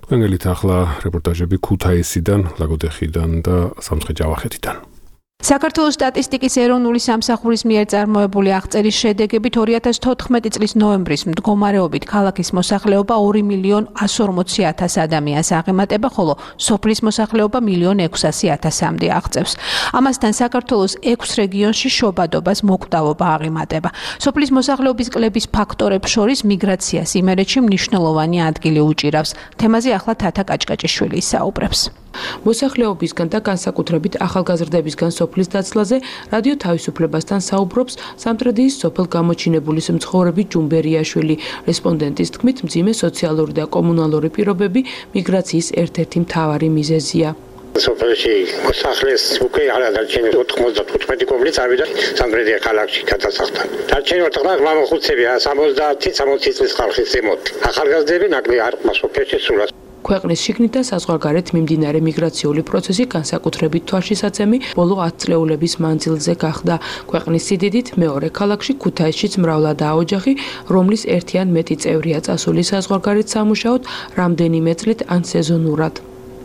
თქვენ გელით ახლა რეპორტაჟები ქუთაისიდან, ლაგოდეხიდან და სამცხე-ჯავახეთიდან. საქართველოს სტატისტიკის ეროვნული სამსახურის მიერ წარმოებული აღწერის შედეგებით 2014 წლის ნოემბრის მდგომარეობით ქალაქის მოსახლეობა 2.140.000 ადამიანს აღემატება, ხოლო სოფლის მოსახლეობა 1.600.000-მდე აღწევს. ამასთან საქართველოს 6 რეგიონში შობადობას მოკვდავობა აღემატება. სოფლის მოსახლეობის კლების ფაქტორებს შორის მიგრაციას იმერეთში მნიშვნელოვანი ადგილი უჭირავს. თემაზე ახლა თათა კაჭკაჭიშვილი საუბრებს. მოსახლეობისგან და განსაკუთრებით ახალგაზრდებისგან სოფლის დაცლაზე რადიო თავისუფლებასთან საუბრობს სამტრედიის სოფელ გამოჩინებულის მცხოვრები ჯუმბერიაშვილი. რესპონდენტის თქმით, მძიმე სოციალური და კომუნალური პირობები მიგრაციის ერთ-ერთი მთავარი მიზეზია. სოფელში მოსახლეს უკვე არადარჩენილი 95 კომპლექს წავიდა სამტრედია ქალაქში გადასახდა. დარჩენილი ოთხნაირ მამახუცებია 70 წლის ხალხის ზემოთ. ახალგაზრდები ნაკლი არ მასოფელში სულას. ქვეყნის შიგნით და საზღვარგარეთ მიმდინარე მიგრაციული პროცესი განსაკუთრებით თვალშისაცემი ბოლო 10 წლეულების მანძილზე გახდა. ქვეყნის სიდიდით მეორე ქალაქში ქუთაისშიც მრავლადაა ოჯახი, რომლის ერთი ან მეტი წევრია წასული საზღვარგარეთ სამუშაოდ რამდენიმე წლით ან სეზონურად.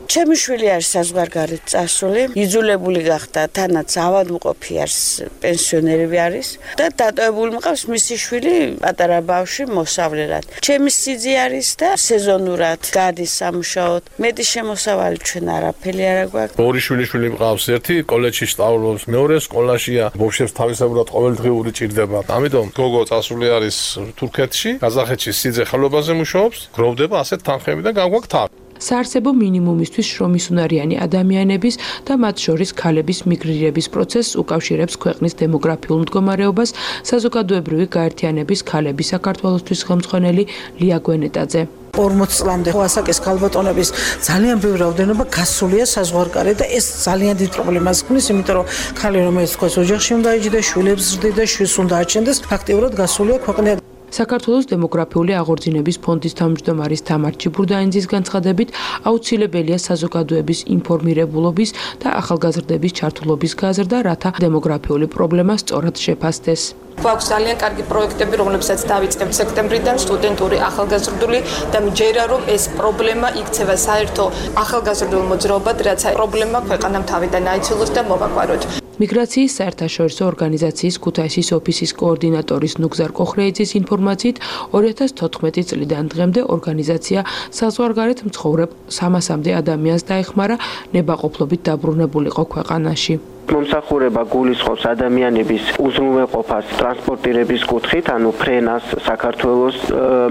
ჩემი შვილი არის საზღვარგარეთ წასული, იძულებული გახდა, თანაც ავადმყოფი არის, პენსიონერები არის და დატოვებული მყავს მისი შვილი პატარა ბავშვი მოსავლელად. ჩემი სიძე არის და სეზონურად გადის სამუშაოდ. მეტი შემოსავალი ჩვენ არაფერი არ გვაქვს. ორი შვილი მყავს, ერთი კოლეჯში სწავლობს, მეორე სკოლაშია. ბავშვებს თავისებურად ყოველდღიური ჭირდება. ამიტომ გოგო წასული არის თურქეთში, ყაზახეთში სიძე ხელობაზე მუშაობს, გროვდება ასეთ თანხები და გაგვაქვს თან. საარსებო მინიმუმისთვის შრომის უნარიანი ადამიანების და მათ შორის ქალების მიგრირების პროცესს უკავშირებს ქვეყნის დემოგრაფიულ მდგომარეობას საზოგადოებრივი გაერთიანების ქალების საქართველოსთვის ხელმძღვანელი ლია გვენეტაძე. 40 წლამდე ასაკის ქალბატონების ძალიან ბევრი რაოდენობა გასულია საზღვარგარეთ და ეს ძალიან დიდ პრობლემას ქმნის, იმიტომ რომ ქალი რომელიც თქვა ოჯახში უნდა იჯდეს, შვილებს ზრდიდა, შვილს უნდა აჩენდეს, ფაქტიურად გასულია ქვეყნიდან. საქართველოს დემოგრაფიული აღორძინების ფონდის თავმჯდომარის თამარ ჩიბურდაინძის განცხადებით, აუცილებელია საზოგადოების ინფორმირებულობის და ახალგაზრდების ჩართულობის გაზრდა, რათა დემოგრაფიული პრობლემა სწორად შეფასდეს. გვაქვს ძალიან კარგი პროექტები, რომლებსაც დავიწყებთ სექტემბრიდან, სტუდენტური, ახალგაზრდული და მჯერა რომ ეს პრობლემა იქცევა საერთო ახალგაზრდულ მოძრაობად, რაც პრობლემა ქვეყანამ თავიდან აიცილოს და მოვაკვაროთ. მიგრაციის საერთაშორისო ორგანიზაციის ქუთაისის ოფისის კოორდინატორის ნუგზარ კოხრეიძის ინფორმაციით 2014 წლიდან დღემდე ორგანიზაცია საზღვარგარეთ მცხოვრებ 300-მდე ადამიანს დაეხმარა ნებაყოფლობით დაბრუნებულიყო ქვეყანაში. მომსახურება გულისხმობს ადამიანების უზრუნველყოფას ტრანსპორტირების კუთხით, ანუ ფრენას საქართველოს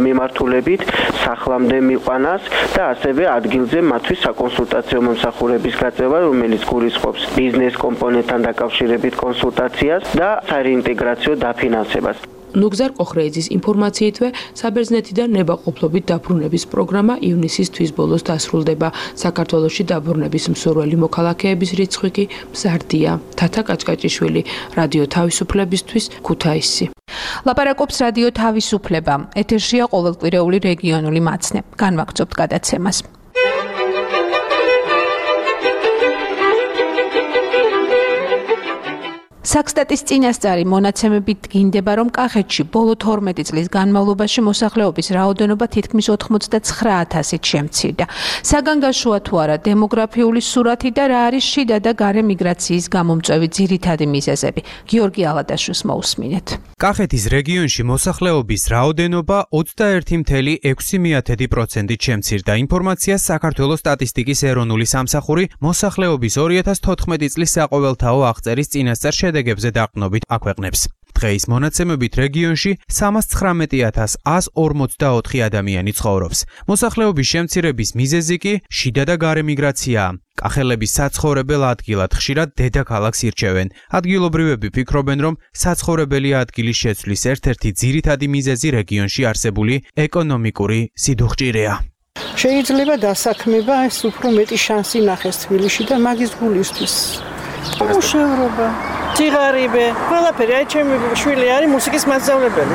მიმართულებით, სახლამდე მიყვანას და ასევე ადგილზე მათთვის საკონსულტაციო მომსახურების გაწევა, რომელიც გულისხმობს ბიზნეს კომპონენტთან დაკავშირებით კონსულტაციას და საინტეგრაციო დაფინანსებას. ნუგზარ კოხრეიძის ინფორმაციითვე საბერძნეთიდან ნებაყოფლობით დაბრუნების პროგრამა ივნისის თვის ბოლოს დასრულდება. საქართველოში დაბრუნების მსურველი მოქალაქეების რიცხვი კი მზარდია. თათა კაჭკაჭიშვილი, რადიო თავისუფლებისთვის, ქუთაისი. ლაპარაკობს რადიო თავისუფლება. ეთერშია ყოველკვირეული რეგიონული მაცნე. განვაგრძობთ გადაცემას. საქსტატის წინასწარი მონაცემებით დგინდება, რომ კახეთში ბოლო 12 წლის განმავლობაში მოსახლეობის რაოდენობა თითქმის 89,000-ით შემცირდა. საგანგაშოა თუ არა დემოგრაფიული სურათი და რა არის შიდა და გარე მიგრაციის გამომწვევი ძირითადი მიზეზები. გიორგი ალადაშვილს მოусმინეთ. კახეთის რეგიონში მოსახლეობის რაოდენობა 21,6%-ით შემცირდა. ინფორმაციას საქართველოს სტატისტიკის ეროვნული სამსახური მოსახლეობის 2014 წლის საყოველთაო აღწერის წინასწარ შედეგებზე დაყრდნობით აქვეყნებს. დღეის მონაცემებით რეგიონში 319,144 ადამიანი ცხოვრობს. მოსახლეობის შემცირების მიზეზი კი შიდა და გარე მიგრაციაა. კახელების საცხოვრებელ ადგილად ხშირად დედაქალაქს ირჩევენ. ადგილობრივები ფიქრობენ, რომ საცხოვრებელი ადგილის შეცვლის ერთ-ერთი ძირითადი მიზეზი რეგიონში არსებული ეკონომიკური სიდუხჭირეა. შეიძლება დასაქმება ეს უფრო მეტი შანსი ნახეს თბილისში და მაგის გულისთვის. მუშაობა, ციგარიბე, ყველაფერი, აი ჩემი შვილი არის მუსიკის მასწავლებელი.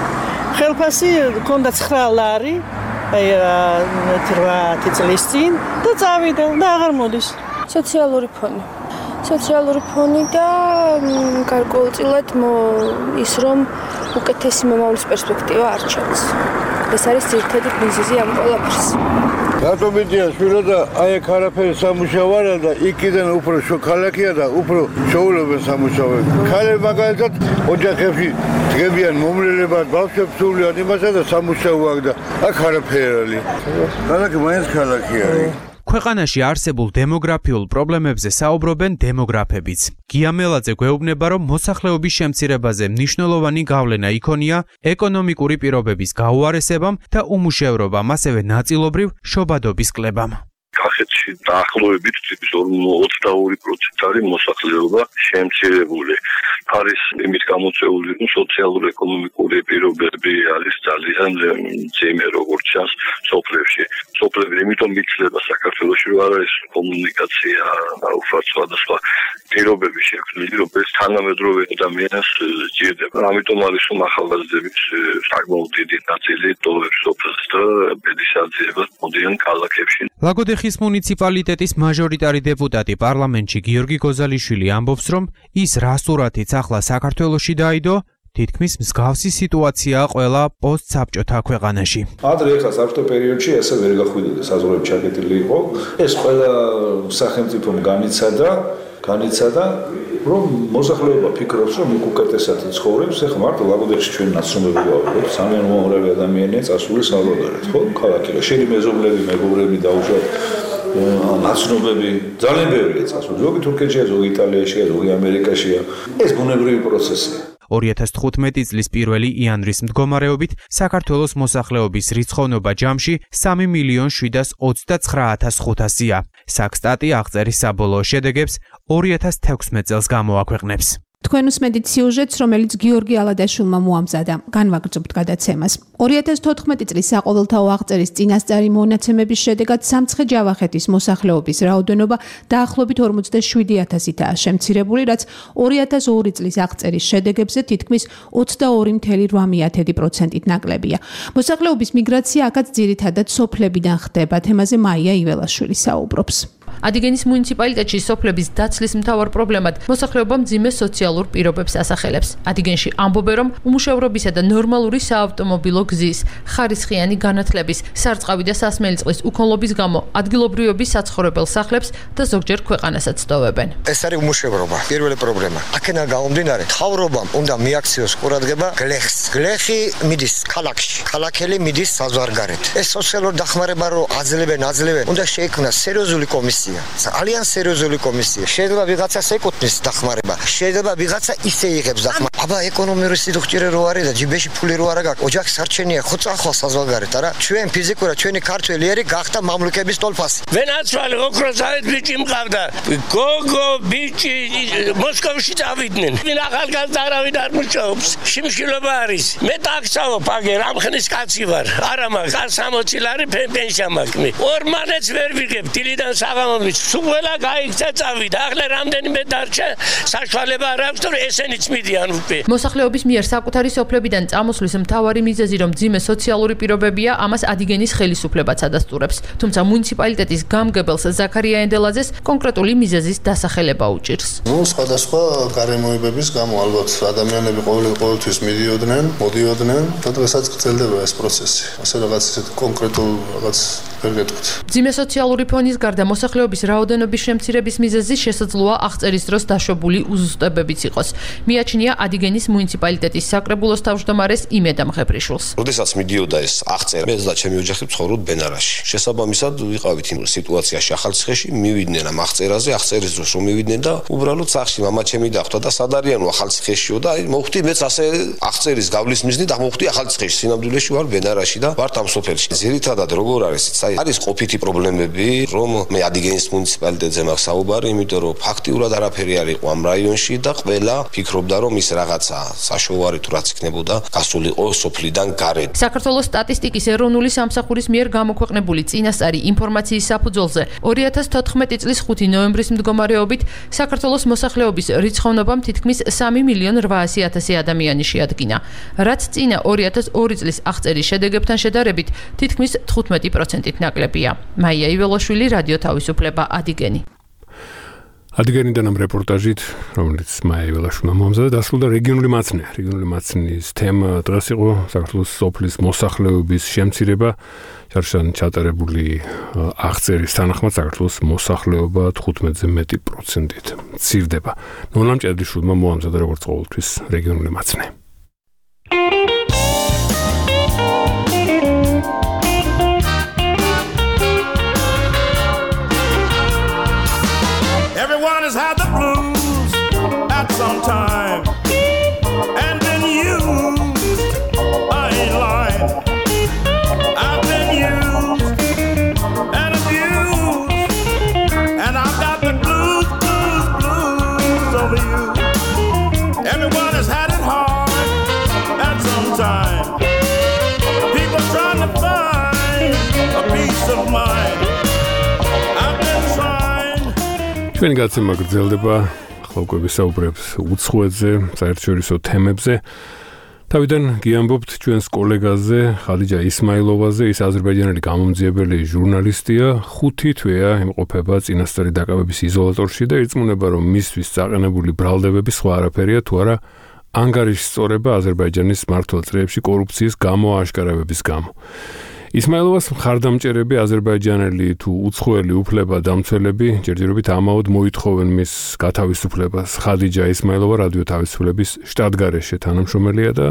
ხელფასი ქონდა 9 ლარი, აი 8 წლის წინ და წავიდა და აღარ მოდის. სოციალური ფონი და გარკვეულწილად ის რომ უკეთესი მომავლის პერსპექტივა არ ჩანს. ეს არის ძირითადი მიზეზი ამ ყველაფერს. რატომ მიდია შვილო და აი აქ არაფერი სამუშაო არა და იქიდან უფრო ქალაქია და უფრო შეულებენ სამუშაოებს. ქალები მაგალითად ოჯახებში დგებიან მომრელებად, ბავშვებს სულიან იმასა და სამუშაო აქვს და აქ არაფერი. ქალაქი მაინც ქალაქი არის. ქვეყანაში არსებულ დემოგრაფიულ პრობლემებზე საუბრობენ დემოგრაფებიც. გია მელაძე გვეუბნება, რომ მოსახლეობის შემცირებაზე მნიშვნელოვანი გავლენა იქონია ეკონომიკური პირობების გაუარესებამ და უმუშევრობამ, ასევე ნაწილობრივ შობადობის კლებამ. კახეთში დაახლოებით 22% არის მოსახლეობა შემცირებული. არის იმით გამოწვეული, რომ სოციალურ-ეკონომიკური პირობები არის ძალიან ძიმე, როგორც ჩანს სოფლებში. სოფლები იმიტომ იცლება საქართველოში, რომ არის კომუნიკაცია, სხვადასხვა პირობები შექმნილი, რომელიც თანამედროვე ადამიანს სჭირდება. ამიტომ არის რომ ახალგაზრდების საკმაოდ დიდი ნაწილი ტოვებს სოფელს და ბედის აძიებას მოდიან ქალაქებში. ლაგოდეხის მუნიციპალიტეტის მაჟორიტარი დეპუტატი პარლამენტში გიორგი გოზალიშვილი ამბობს, რომ ის რა სურათიც ახლა საქართველოში დაიდო, თითქმის მსგავსი სიტუაციაა ყველა პოსტსაბჭოთა ქვეყანაში. ადრე ახლა საბჭოთა პერიოდში ესე ვერ გახვიდოდა, საზღვრები ჩაკეტილი იყო. ეს ყველა სახელმწიფომ განიცადა, რომ მოსახლეობა ფიქრობს, რომ უკეთესად ცხოვრებს, ახლა მარტო ლაგოდეხში ჩვენ ნაცნობები ვართ, ძალიან უამრავი ადამიანია წასული საზღვარგარეთ, ხო? ქალაქია, შენი მეზობლები, მეგობრები დაუშვათ ნაცნობები ძალიან ბევრია წასული. ზოგი თურქეთშია, ზოგი იტალიაშია, ზოგი ამერიკაშია. ეს ბუნებრივი პროცესია. 2015 წლის 1 იანვრის მდგომარეობით საქართველოს მოსახლეობის რიცხოვნობა ჯამში 3.729.500-ია. საქსტატი აღწერის საბოლოო შედეგებს 2016 წელს გამოაქვეყნებს. თქვენ უსმენთ სიუჟეტს, რომელიც გიორგი ალადაშვილმა მოამზადა. განვაგრძობთ გადაცემას. 2014 წლის საყოველთაო აღწერის წინასწარი მონაცემების შედეგად სამცხე-ჯავახეთის მოსახლეობის რაოდენობა დაახლოებით 47,000-ითაა შემცირებული, რაც 2002 წლის აღწერის შედეგებზე თითქმის 22.8%-ით ნაკლებია. მოსახლეობის მიგრაცია აქაც ძირითადად სოფლებიდან ხდება. თემაზე მაია იველაშვილი საუბრობს. ადიგენის მუნიციპალიტეტში სოფლების დაცლის მთავარ პრობლემად მოსახლეობა მძიმე სოციალურ პირობებს ასახელებს. ადიგენში ამბობენ, რომ უმუშევრობისა და ნორმალური საავტომობილო გზის, ხარისხიანი განათლების, სარწყავი და სასმელი წყლის უქონლობის გამო ადგილობრივების საცხოვრებელ სახლებს და ზოგჯერ ქვეყანასაც ტოვებენ. ეს არის უმუშევრობა, პირველი პრობლემა. აქედან გამომდინარე, მთავრობამ უნდა მიაქციოს ყურადღება გლეხს. გლეხი მიდის ქალაქში, ქალაქელი მიდის საზღვარგარეთ. ეს სოციალურ დახმარება რო აძლევენ, უნდა შეიქმნას სერიოზული კომისია. ძალიან სერიოზული კომისია. შეიძლება ვიღაცას ეკუთვნის დახმარება, შეიძლება ვიღაცა ისე იღებს დახმარება. აბა ეკონომიური სიდუხჭირე რო არის და ჯიბეში ფული რო არა გაქვს, ოჯახის არჩენია ხო წახვალ საზღვარგარეთ, არა? ჩვენ ფიზიკურად ჩვენი ქართველი ერი გახდა მამლუქების ტოლფასი. ვენაცვალე ოქროსავით ბიჭი მყავდა. გოგო ბიჭი მოსკოვში წავიდნენ. ვინ ახალგაზრდა არავინ არ მუშაობს. შიმშილობა არის. მე ტაქსავო ფაგე, რამხნის კაცი ვარ. არა მაგ 60 ლარი პენსია მაქვს. ორმანეც ვერ ვიღებ დილიდან საღამომდე. სულ გაიქცა წავიდა. ახლა რამდენიმე დარჩა საშუალება არ აქვს, რომ ესენიც მიდიან უკვე. მოსახლეობის მიერ საკუთარი სოფლებიდან წამოსვლის მთავარი მიზეზი, რომ მძიმე სოციალური პირობებია, ამას ადიგენის ხელისუფლებაც ადასტურებს. თუმცა მუნიციპალიტეტის გამგებელს ზაქარია ენდელაძეს კონკრეტული მიზეზის დასახელება უჭირს. სხვადასხვა გარემოებების გამო ალბათ ადამიანები ყოველთვის მოდიოდნენ და დღესაც გრძელდება ეს პროცესი. ასე რაღაც ისეთ კონკრეტულ რაღაც ვერ გეტყვით. მძიმე სოციალური ფონის გარდა მოსახლეობის რაოდენობის შემცირების მიზეზი შესაძლოა აღწერის დროს დაშვებული უზუსტებებიც იყოს. მიაჩნია ადიგენის მუნიციპალიტეტის საკრებულოს თავმჯდომარეს იმედა მღებრიშვილს. როდესაც მიდიოდა ეს აღწერა, მე და ჩემი ოჯახი ცხოვრობთ ბენარაში. შესაბამისად ვიყავით იმ სიტუაციაში ახალციხეში, მივიდნენ ამ აღწერაზე, აღწერის დროს რომ მივიდნენ და უბრალოდ სახში მამაჩემი დახვდა და სად არიანო ახალციხეშიო და მოვხდი მეც ასე აღწერის გავლის მიზნით მოვხდი ახალციხეში, სინამდვილეში ვარ ბენარაში და ვარ ამ სოფელში. ძირითადად როგორ არის ყოფითი პრობლემები, რომ მე ადიგენის მუნიციპალიტეტზე მაქვს საუბარი, იმიტომ რომ ფაქტიურად არაფერი არ იყო ამ რაიონში და ყველა ფიქრობდა, რომ ის რაღაცა საშუალო თუ რაც იქნებოდა გასულიყო სოფლიდან გარეთ. საქართველოს სტატისტიკის ეროვნული სამსახურის მიერ გამოქვეყნებული წინასწარი ინფორმაციის საფუძველზე 2014 წლის 5 ნოემბრის მდგომარეობით საქართველოს მოსახლეობის რიცხოვნობამ თითქმის 3.800.000 ადამიანი შეადგინა, რაც წინა 2002 წლის აღწერის შედეგებთან შედარებით თითქმის 15%-ით ნაკლებია. მაია იველაშვილი, რადიო თავისუფლება, ადიგენი. ადიგენიდან ამ რეპორტაჟით, რომელიც მაია იველაშვილმა მოამზადა, დასრულდა რეგიონული მაცნე. რეგიონული მაცნის თემა დღეს იყო საქართველოს სოფლის მოსახლეობის შემცირება. შარშან ჩატარებული აღწერის თანახმად საქართველოს მოსახლეობა 15-ზე მეტი პროცენტით მცირდება. ნონამ ჭედიშვილმა მოამზადა როგორც ყოველთვის რეგიონული მაცნე. Everyone has had the blues at some time and been used. I ain't lying. I've been used and abused, and I've got the blues over you. Everyone has had it hard at some time. People trying to find a peace of mind. ჩვენი გაცემა გრძელდება, ახლა უკვე ვისაუბრებთ უცხოეთზე, საერთაშორისო თემებზე. თავიდან გიამბობთ ჩვენს კოლეგაზე, ხადიჯა ისმაილოვაზე, ის აზერბაიჯანელი გამომძიებელი ჟურნალისტია, 5 თვეა იმყოფება წინასწარი დაკავების იზოლატორში და ირწმუნება, რომ მისთვის წაყენებული ბრალდებები სხვა არაფერია თუ არა ანგარიშსწორება აზერბაიჯანის მმართველ წრეებში კორუფციის გამოაშკარავების გამო. ისმაილოვას მხარდამჭერები აზერბაიჯანელი თუ უცხოელი უფლება-დამცველები ჯერჯერობით ამაოდ მოითხოვენ მის გათავისუფლებას. ხადიჯა ისმაილოვა რადიო თავისუფლების შტატგარეშე თანამშრომელია და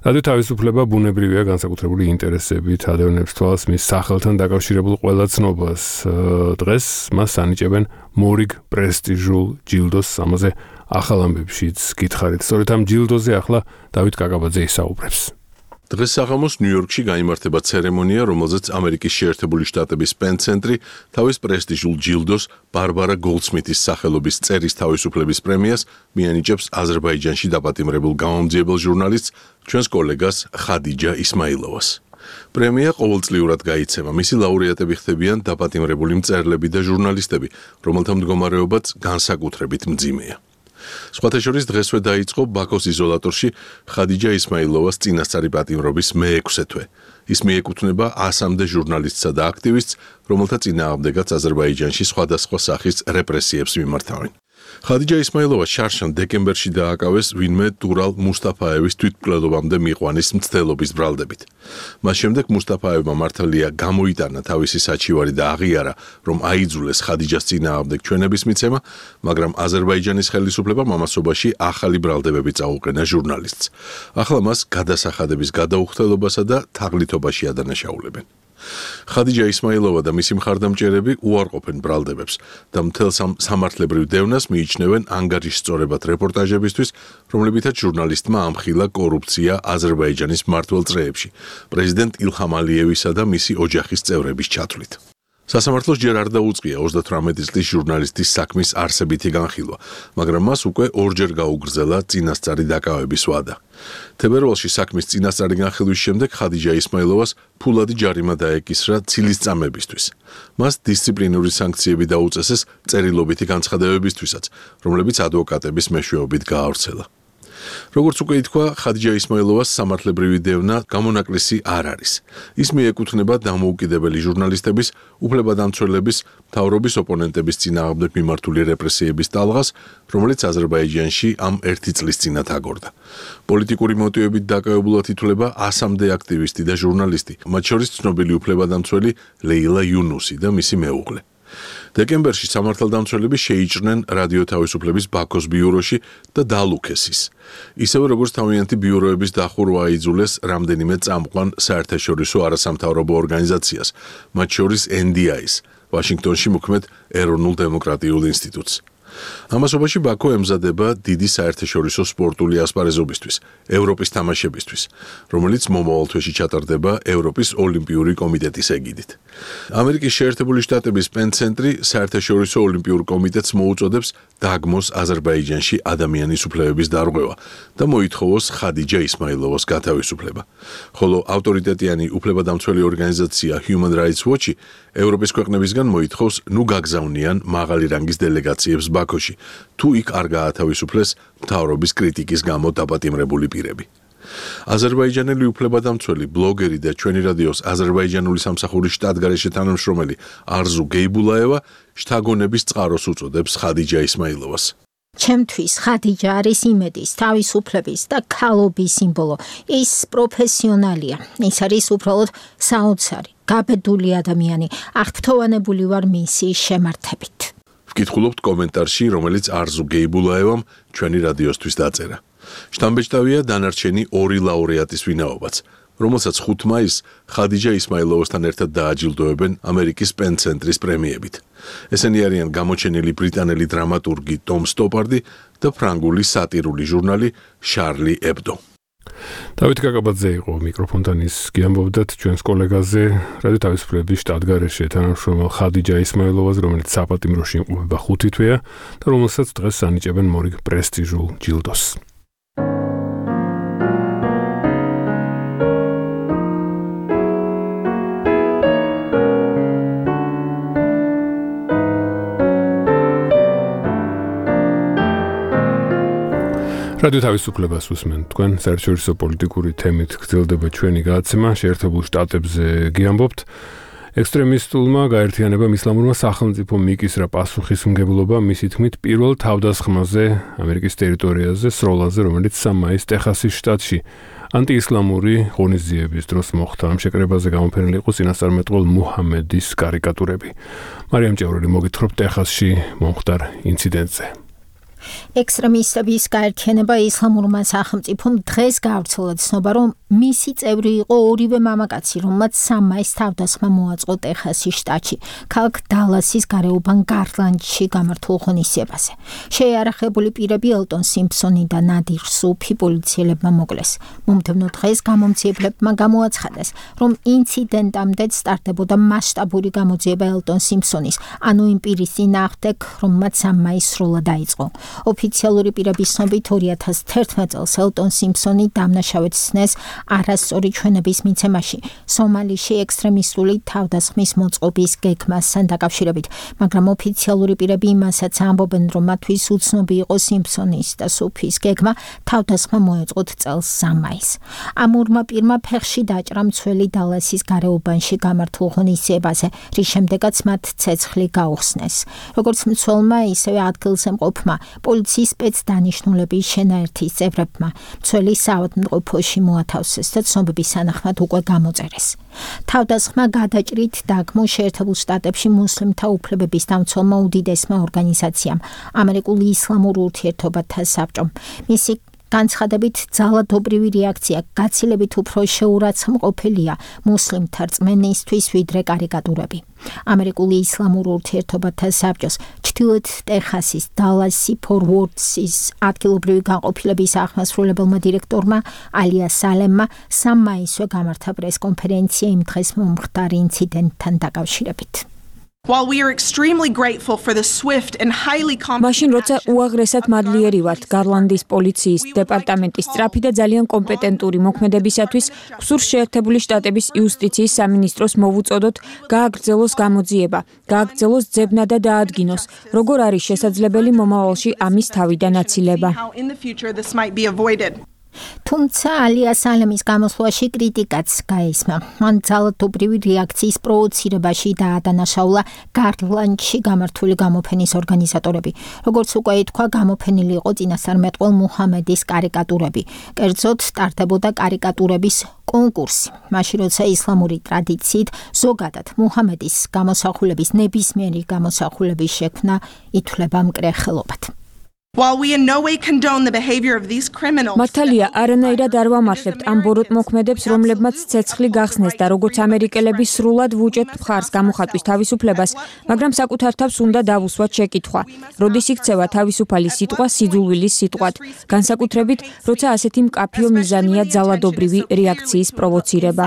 რადიო თავისუფლება ბუნებრივია განსაკუთრებული ინტერესებით ადევნებს თვალს მის სახელთან დაკავშირებულ ყველა ცნობას. დღეს მას ანიჭებენ მორიგ პრესტიჟულ ჯილდოს, ამაზე ახალ ამბებშიც გითხარით. სწორედ ამ ჯილდოზე ახლა დავით კაკაბაძე ისაუბრებს. დღეს საღამოს ნიუ-იორკში გაიმართება ცერემონია, რომელზეც ამერიკის შეერთებული შტატების პენ ცენტრი თავის პრესტიჟულ ჯილდოს ბარბარა გოლდსმითის სახელობის წერის თავისუფლების პრემიას მიანიჭებს აზერბაიჯანში დაპატიმრებულ გამომძიებელ ჟურნალისტს, ჩვენს კოლეგას ხადიჯა ისმაილოვას. პრემია ყოველწლიურად გაიცემა. მისი ლაურეატები ხდებიან დაპატიმრებული მწერლები და ჟურნალისტები, რომელთა მდგომარეობაც განსაკუთრებით მძიმეა. სხვათა შორის დღესვე დაიწყო ბაქოს იზოლატორში ხადიჯა ისმაილოვას წინასწარი პატიმრობის მე-6 თვე. ის მიეკუთვნება 100-მდე ჟურნალისტსა და აქტივისტს, რომელთა წინააღმდეგაც აზერბაიჯანში სხვადასხვა სახის რეპრესიებს მიმართავენ. ხადიჯა ისმაილოვა შარშან დეკემბერში დააკავეს ვინმე დურალ მუსტაფაევის თვითმკვლელობამდე მიყვანის მცდელობის ბრალდებით. მას შემდეგ მუსტაფაევმა მართალია გამოიტანა თავისი საჩივარი და აღიარა, რომ აიძულეს ხადიჯას წინააღმდეგ ჩვენების მიცემა, მაგრამ აზერბაიჯანის ხელისუფლებამ ამასობაში ახალი ბრალდებები წაუყენა ჟურნალისტს. ახლა მას გადასახადების გადაუხდელობასა და თაღლითობაში ადანაშაულებენ. ხადიჯა ისმაილოვა და მისი მხარდამჭერები უარყოფენ ბრალდებებს და მთელს ამ სამართლებრივ დევნას მიიჩნევენ ანგარიშსწორებად რეპორტაჟებისთვის, რომლებითაც ჟურნალისტმა ამხილა კორუფცია აზერბაიჯანის მმართველ წრეებში, პრეზიდენტ ილჰამ ალიევისა და მისი ოჯახის წევრების ჩათვლით. სასამართლოს ჯერ არ დაუწყია 38 წლის ჟურნალისტის საქმის არსებითი განხილვა, მაგრამ მას უკვე ორჯერ გაუგრძელა წინასწარი დაკავების ვადა. თებერვალში საქმის წინასწარი განხილვის შემდეგ ხადიჯა ისმაილოვას ფულადი ჯარიმა დაეკისრა ცილისწამებისთვის. მას დისციპლინური სანქციები დაუწესეს წერილობითი განცხადებებისთვისაც, რომლებიც ადვოკატების მეშვეობით გაავრცელა. როგორც უკვე ითქვა, ხადიჯა ისმაილოვას სამართლებრივი დევნა გამონაკლისი არ არის. ის მიეკუთვნება დამოუკიდებელი ჟურნალისტების, უფლებადამცველების, მთავრობის ოპონენტების წინააღმდეგ მიმართული რეპრესიების ტალღას, რომელიც აზერბაიჯანში ამ 1 წლის წინათ აგორდა. პოლიტიკური მოტივებით დაკავებულად ითვლება 100-მდე აქტივისტი და ჟურნალისტი, მათ შორის ცნობილი უფლებადამცველი ლეილა იუნუსი და მისი მეუღლე. დეკემბერში სამართალდამცველები შეიჭრნენ რადიო თავისუფლების ბაქოს ბიუროში და დალუქეს ის. ისევე როგორც თავიანთი ბიუროების დახურვა აიძულეს რამდენიმე წამყვან საერთაშორისო არასამთავრობო ორგანიზაციას, მათ შორის NDI-ს, ვაშინგტონში მოქმედ ეროვნულ დემოკრატიულ ინსტიტუტს. ამასობაში ბაქო ემზადება დიდი საერთაშორისო სპორტული ასპარეზობისთვის, ევროპის თამაშებისთვის, რომელიც მომავალ თვეში ჩატარდება ევროპის ოლიმპიური კომიტეტის ეგიდით. ამერიკის შეერთებული შტატების პენ ცენტრი საერთაშორისო ოლიმპიურ კომიტეტს მოუწოდებს დაგმოს აზერბაიჯანში ადამიანის უფლებების დარღვევა და მოითხოვოს ხადიჯა ისმაილოვას გათავისუფლება. ხოლო ავტორიტეტიანი უფლებადამცველი ორგანიზაცია Human Rights Watch ევროპის ქვეყნებისგან მოითხოვს ნუ გაგზავნიან მაღალი რანგის დელეგაციებს ბაქოში, თუ იქ არ გაათავისუფლეს მთავრობის კრიტიკის გამო დაპატიმრებული პირები. აზერბაიჯანელი უფლებადამცველი, ბლოგერი და ჩვენი რადიოს აზერბაიჯანული სამსახურის შტატგარეშე თანამშრომელი არზუ გეიბულაევა შთაგონების წყაროს უწოდებს ხადიჯა ისმაილოვას. ჩემთვის ხადიჯა არის იმედის, თავისუფლების და ქალობის სიმბოლო. ის პროფესიონალია. ის არის უბრალოდ საოცარი, გაბედული ადამიანი. აღფრთოვანებული ვარ მისი შემართებით. ვკითხულობთ კომენტარში, რომელიც არზუ გეიბულაევამ ჩვენი რადიოსთვის დაწერა. შთამბეჭდავია დანარჩენი 2 ლაურეატის ვინაობაც, რომელსაც 5 მაისს ხადიჯა ისმაილოვასთან ერთად დააჯილდოებენ ამერიკის პენ ცენტრის პრემიებით. ესენი არიან გამოჩენილი ბრიტანელი დრამატურგი ტომ სტოპარდი და ფრანგული სატირული ჟურნალი შარლი ებდო. დავით კაკაბაძე იყო მიკროფონთან, ის გიამბობდათ ჩვენს კოლეგაზე რადიო თავისუფლების შტატგარეშე თანამშრომელ ხადიჯა ისმაილოვას, რომელიც საპატიმროში იმყოფება 5 თვეა და რომელსაც დღეს ანიჭებენ მორიგ პრესტიჟულ ჯილდოს. რადიო თავისუფლებას უსმენ თქვენ, საერთაშორისო პოლიტიკური თემით გრძელდება ჩვენი გადაცემა, შეერთებულ შტატებზე გიამბობთ. ექსტრემისტულმა გაერთიანებამ ისლამურმა სახელმწიფომ მიკისრა პასუხისმგებლობა მისი თქმით პირველ თავდასხმაზე ამერიკის ტერიტორიაზე სროლაზე, რომელიც 3 მაისს ტეხასის შტატში ანტიისლამური ღონისძიების დროს მოხდა. ამ შეკრებაზე გამოფენილი იყო წინასწარმეტყველ მუჰამედის კარიკატურები. მარიამ ჭევრელი მოგითხრობ ტეხასში მომხდარ ინციდენტზე. ექსტრემისტების გაერთიანება ისლამურმა სახელმწიფომ დღეს გავრცელა ცნობა, რომ მისი წევრი იყო ორივე მამაკაცი, რომელმაც 3 მაისს თავდასხმა მოაწყო ტეხასის შტატში, ქალაქ დალასის გარეუბან გარლანდში გამართულ ღონისძიებაზე. შეიარაღებული პირები ელტონ სიმფსონი და ნადირ სუფი პოლიციელებმა მოკლეს. მომდევნო დღეს გამომძიებლებმა გამოაცხადეს, რომ ინციდენტამდე სტარტდებოდა მასშტაბური გამოძიება ელტონ სიმფსონის, ანუ იმ პირის წინააღმდეგ, რომელმაც 3 მაისს სროლა დაიწყო. ოფიციალური პირების ცნობით 2011 წელს ელტონ სიმფსონი დამნაშავედ სცნეს არასწორი ჩვენების მიცემაში სომალიში ექსტრემისტული თავდასხმის მოწყობის გეგმასთან დაკავშირებით, მაგრამ ოფიციალური პირები იმასაც ამბობენ, რომ მათთვის უცნობი იყო სიმფსონის და სუფის გეგმა თავდასხმა მოეწყოთ წელს 3 მაისს. ამურმა პირმა ფეხში დაჭრა მცველი დალასის გარეუბანში გამართულ ღონისძიებაზე, რის შემდეგაც მათ ცეცხლი გაუხსნეს. როგორც მცველმა, ისევე ადგილზე მყოფმა პოლიციის სპეცდანიშნულების შენაერთის წევრებმა მცველი საავადმყოფოში მოათავსეს და ცნობების სანახმად უკვე გამოწერეს. თავდასხმა გადაჭრით დაგმო შეერთებულ შტატებში მუსლიმთა უფლებების დამცველმა უდიდესმა ორგანიზაციამ, ამერიკული ისლამურ ურთიერთობათა საბჭომ. მისი განცხადებით ძალადობრივი რეაქცია გაცილებით უფრო შეურაცხმყოფილია მუსლიმთა რწმენისთვის ვიდრე კარიკატურები. ამერიკული ისლამურ ურთიერთობათა საბჭოს ჩრდილოეთ ტეხასის დალასი ფორვორდსის ადგილობრივი განყოფილების აღმასრულებელმა დირექტორმა ალია სალემმა 3 მაისსვე გამართა პრესკონფერენცია იმ დღეს მომხდარ ინციდენტთან დაკავშირებით. While we are extremely grateful for the swift and highly მაშინ როცა უაღრესად მადლიერი ვართ გარლანდის პოლიციის დეპარტამენტის სწრაფი და ძალიან კომპეტენტური მოქმედებისათვის, გსურს შეერთებული შტატების იუსტიციის სამინისტროს მოვუწოდოთ გააგრძელოს გამოძიება, გააგრძელოს ძებნა და დაადგინოს, როგორ არის შესაძლებელი მომავალში ამის თავიდან აცილება. თუმცა ალია სალემის გამოსვლაში კრიტიკაც გაისმა. მან ძალადობრივი რეაქციის პროვოცირებაში დაადანაშაულა გარლანდში გამართული გამოფენის ორგანიზატორები. როგორც უკვე ითქვა, გამოფენილი იყო წინასწარმეტყველ მუჰამედის კარიკატურები. კერძოდ, სტარტდებოდა კარიკატურების კონკურსი. მაშინ როცა ისლამური ტრადიციით ზოგადად მუჰამედის გამოსახულების ნებისმიერი გამოსახულების შექმნა ითვლება მკრეხელობად. While we in no way condone the behavior of these criminals, მართალია, არანაირად არ ვამართლებთ ამ ბოროტ მოქმედებს, რომლებმაც ცეცხლი გახსნეს და როგორც ამერიკელები სრულად ვუჭერთ მხარს გამოხატვის თავისუფლებას, მაგრამ საკუთარ თავს უნდა დავუსვათ შეკითხვა. როდის იქცევა თავისუფალი სიტყვა სიძულვილის სიტყვად, განსაკუთრებით, როცა ასეთი მკაფიო მიზანია ძალადობრივი რეაქციის პროვოცირება.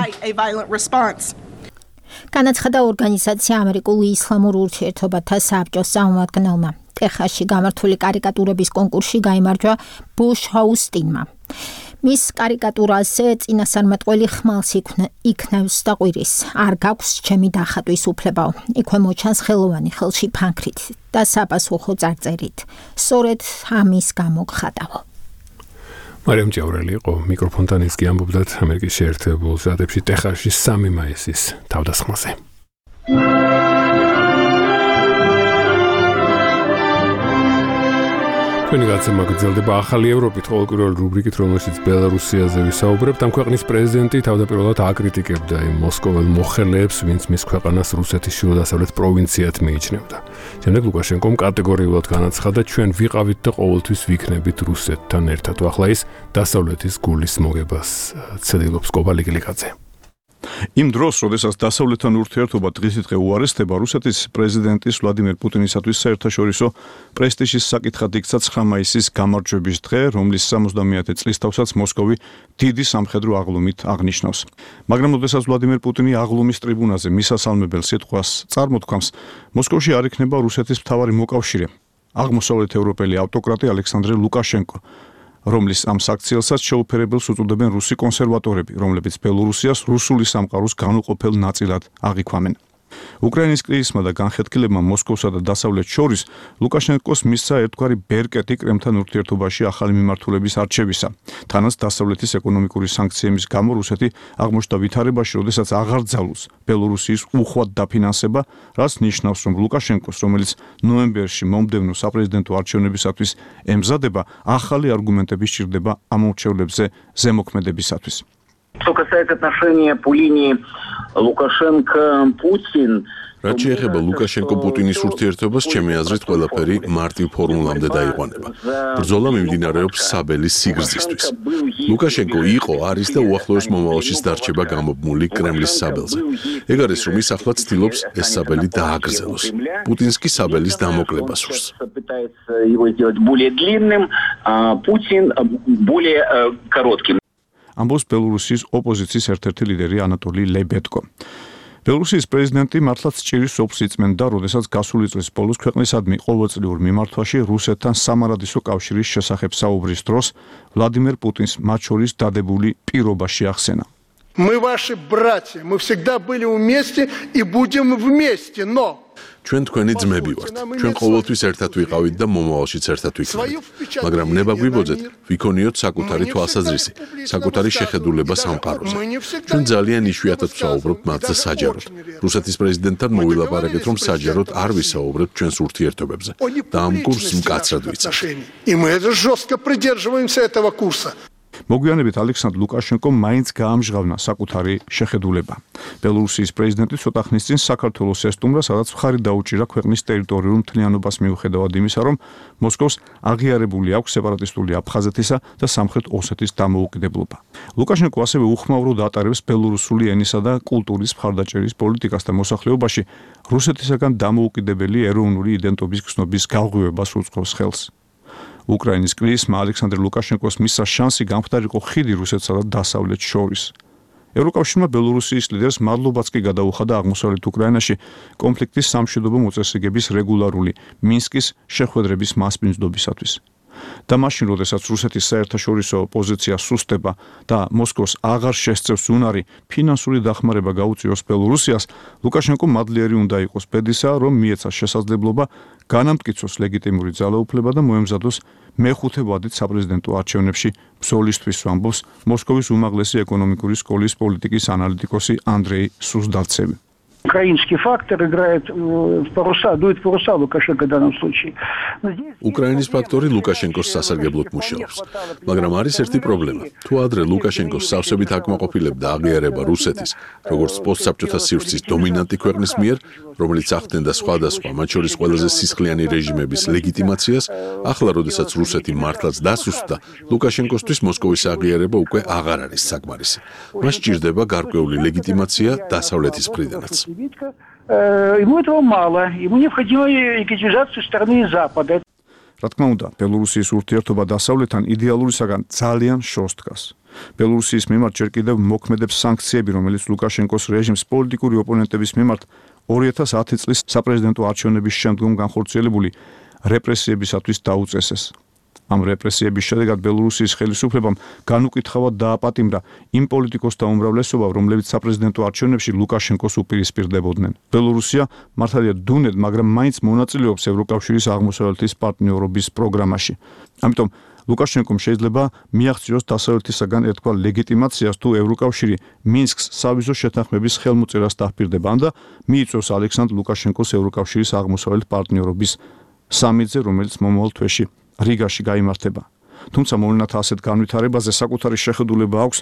განაცხადა ორგანიზაცია ამერიკული ისლამურ ურთიერთობათა საბჭოს წარმომადგენელმა. ტეხასში გამართული კარიკატურების კონკურსში გაიმარჯვა ბუშ ჰაუსტინმა. მის კარიკატურაზე წინასწარმეტყველი ხმალს იქნევს და ყვირის. არ გაქვს ჩემი დახატვის უფლებაო. იქვე მოჩანს ხელოვანი ხელში ფანქრით და საპასუხო წარწერით. სწორედ ამის გამო გხატავო. მარიამ ჭევრელი იყო მიკროფონთან, ის კი ამბობდათ ამერიკის შეერთებულ შტატებში ტეხასში 3 მაისის თავდასხმაზე. ჩვენი გაცემა გრძელდება ახალი ევროპით, ყოველკვირეული რუბრიკით, რომელშიც ბელარუსიაზე ვისაუბრებთ. ამ ქვეყნის პრეზიდენტი თავდაპირველად აკრიტიკებდა იმ მოსკოველ მოხელეებს, ვინც მის ქვეყანას რუსეთის ჩრდილო-დასავლეთ პროვინციად მიიჩნევდა. შემდეგ ლუკაშენკომ კატეგორიულად განაცხადა, ჩვენ ვიყავით და ყოველთვის ვიქნებით რუსეთთან ერთად. ახლა ის დასავლეთის გულის მოგებას ცდილობს კობა ლიგლიკაძე. იმ დროს, როდესაც დასავლეთთან ურთიერთობა დღისდღე უარესდება, რუსეთის პრეზიდენტის ვლადიმერ პუტინისათვის საერთაშორისო პრესტიჟის საკითხად იქცა 9 მაისის გამარჯვების დღე, რომლის 70-ე წლისთავსაც მოსკოვი დიდი სამხედრო აღლუმით აღნიშნავს. მაგრამ როდესაც ვლადიმერ პუტინი აღლუმის ტრიბუნაზე მისასალმებელ სიტყვას წარმოთქვამს, მოსკოვში არ იქნება რუსეთის მთავარი მოკავშირე, აღმოსავლეთ ევროპელი ავტოკრატი ალექსანდრე ლუკაშენკო, რომლის ამ საქციელსაც შეუფერებელს უწოდებენ რუსი კონსერვატორები, რომლებიც ბელორუსიას რუსული სამყაროს განუყოფელ ნაწილად აღიქვამენ. უკრაინის კრიზისმა და განხეთქილებმა მოსკოვსა და დასავლეთს შორის ლუკაშენკოს მისცა ერთგვარი ბერკეტი კრემლთან ურთიერთობაში ახალი მიმართულების არჩევისა. თანაც დასავლეთის ეკონომიკური სანქციების გამო რუსეთი აღმოჩნდა ვითარებაში, როდესაც აღარ ძალუს ბელორუსიის უხვად დაფინანსება, რაც ნიშნავს, რომ ლუკაშენკოს, რომელიც ნოემბერში მომდევნო საპრეზიდენტო არჩევნებისათვის ემზადება, ახალი არგუმენტები სჭირდება ამ მრჩევლებზე ზემოქმედებისათვის. Что касается отношения по линии Лукашенко-Путин, რაც შეეხება ლუკაშენკო-პუტინის ურთიერთობას, ჩემი აზრით, ყველაფერი მარტივ ფორმულამდე დაიყვანება. ბრძოლა მიმდინარეობს საბელის სიგრძისთვის. ლუკაშენკო იყო, არის და უახლოეს მომავალშიც დარჩება გამობმული კრემლის საბელზე. ეგ არის, რომ ის ახლა ცდილობს ეს საბელი დააგრძელოს. პუტინს კი საბელის დამოკლება სურს. пытается его сделать более длинным, а Путин более коротким. ამბობს ბელორუსიის ოპოზიციის ერთ-ერთი ლიდერი ანატოლი ლებედკო. ბელორუსიის პრეზიდენტი მართლაც ჭირის ოფს იწმენდა, როდესაც გასული წლის ბოლოს ქვეყნისადმი ყოველწლიურ მიმართვაში რუსეთთან სამარადისო კავშირის შესახებ საუბრის დროს ვლადიმერ პუტინს მათ შორის დადებული პირობა შეახსენა. Мы ваши братья, мы всегда были вместе и будем вместе, но ჩვენ თქვენი ძმები ვართ. ჩვენ ყოველთვის ერთად ვიყავით და მომავალშიც ერთად ვიქნებით. მაგრამ ნება გვიბოძეთ, ვიქონიოთ საკუთარი თვალსაზრისი, საკუთარი შეხედულება სამყაროზე. ჩვენ ძალიან იშვიათად ვსაუბრობთ მათზე საჯაროდ. რუსეთის პრეზიდენტთან მოვილაპარაკეთ, რომ საჯაროდ არ ვისაუბრებთ ჩვენს ურთიერთობებზე და ამ კურსს მკაცრად ვიცავთ. И мы жестко придерживаемся этого курса. მოგვიანებით ალექსანდრ ლუკაშენკომ მაინც გაამჟღავნა საკუთარი შეხედულება. ბელორუსიის პრეზიდენტი ცოტა ხნის წინ საქართველოს ესტუმრა, სადაც მხარი დაუჭირა ქვეყნის ტერიტორიულ მთლიანობას მიუხედავად იმისა, რომ მოსკოვს აღიარებული აქვს სეპარატისტული აფხაზეთისა და სამხრეთ ოსეთის დამოუკიდებლობა. ლუკაშენკო ასევე უხმაუროდ ატარებს ბელორუსული ენისა და კულტურის მხარდაჭერის პოლიტიკას და მოსახლეობაში რუსეთისაგან დამოუკიდებელი ეროვნული იდენტობის გრძნობის გაღვივებას უწყობს ხელს. უკრაინის კრიზისმა ალექსანდრ ლუკაშენკოს მისცა შანსი გამხდარიყო ხიდი რუსეთსა და დასავლეთს შორის. ევროკავშირმა ბელორუსიის ლიდერს მადლობაც კი გადაუხადა აღმოსავლეთ უკრაინაში კონფლიქტის სამშვიდობო მოწესრიგების რეგულარული მინსკის შეხვედრების მასპინძლობისათვის. და მაშინ, როდესაც რუსეთის საერთაშორისო პოზიცია სუსტება და მოსკოვს აღარ შესწევს უნარი ფინანსური დახმარება გაუწიოს ბელორუსიას, ლუკაშენკო მადლიერი უნდა იყოს ბედისა, რომ მიეცა შესაძლებლობა განამტკიცოს ლეგიტიმური ძალაუფლება და მოემზადოს მეხუთე ვადით საპრეზიდენტო არჩევნებში ბრძოლისთვის, ამბობს მოსკოვის უმაღლესი ეკონომიკური სკოლის პოლიტიკის ანალიტიკოსი ანდრეი სუზდალცევი. Украинский фактор играет в паруса, дует в паруса Лукашенко в данном случае. უკრაინის ფაქტორი ლუკაშენკოს სასარგებლოდ მუშაობს. მაგრამ არის ერთი პრობლემა. თუ ადრე ლუკაშენკოს სავსებით აკმაყოფილებდა აღიარება რუსეთის, როგორც პოსტსაბჭოთა სივრცის დომინანტი ქვეყნის მიერ, რომელიც ახდენდა სხვადასხვა, მათ შორის ყველაზე სისხლიანი რეჟიმების ლეგიტიმაციას, ახლა, როდესაც რუსეთი მართლაც დასუსტდა, ლუკაშენკოსთვის მოსკოვის აღიარება უკვე აღარ არის საკმარისი. მას სჭირდება გარკვეული ლეგიტიმაცია დასავლეთის მხრიდანაც. Ему этого мало, ему необходима легитимизация со стороны Запада. რა თქმა უნდა, ბელორუსიის ურთიერთობა დასავლეთთან იდეალურისაგან ძალიან შორს დგას. ბელორუსიის მიმართ ჯერ კიდევ მოქმედებს სანქციები, რომელიც ლუკაშენკოს რეჟიმს პოლიტიკური ოპონენტების მიმართ 2010 წლის საპრეზიდენტო არჩევნების შემდგომ განხორციელებული რეპრესიებისათვის დაუწესეს. ამ რეპრესიების შედეგად ბელორუსიის ხელისუფლებამ განუკითხავად დააპატიმრა იმ პოლიტიკოსთა უმრავლესობა, რომლებიც საპრეზიდენტო არჩევნებში ლუკაშენკოს უპირისპირდებოდნენ. ბელორუსია მართალია დუნედ, მაგრამ მაინც მონაწილეობს ევროკავშირის აღმოსავლეთის პარტნიორობის პროგრამაში. ამიტომ ლუკაშენკომ შეიძლება მიაღწიოს დასავლეთისაგან ერთგვარ ლეგიტიმაციას, თუ ევროკავშირი მინსკს სავიზო შეთანხმების ხელმოწერას დაჰპირდება და მიიწვევს ალექსანდრ ლუკაშენკოს ევროკავშირის აღმოსავლეთ პარტნიორობის სამიტზე, რომელიც მომავალ თვეში რიგაში გაიმართება. თუმცა მოვლენათა ასეთ განვითარებაზე საკუთარი შეხედულება აქვს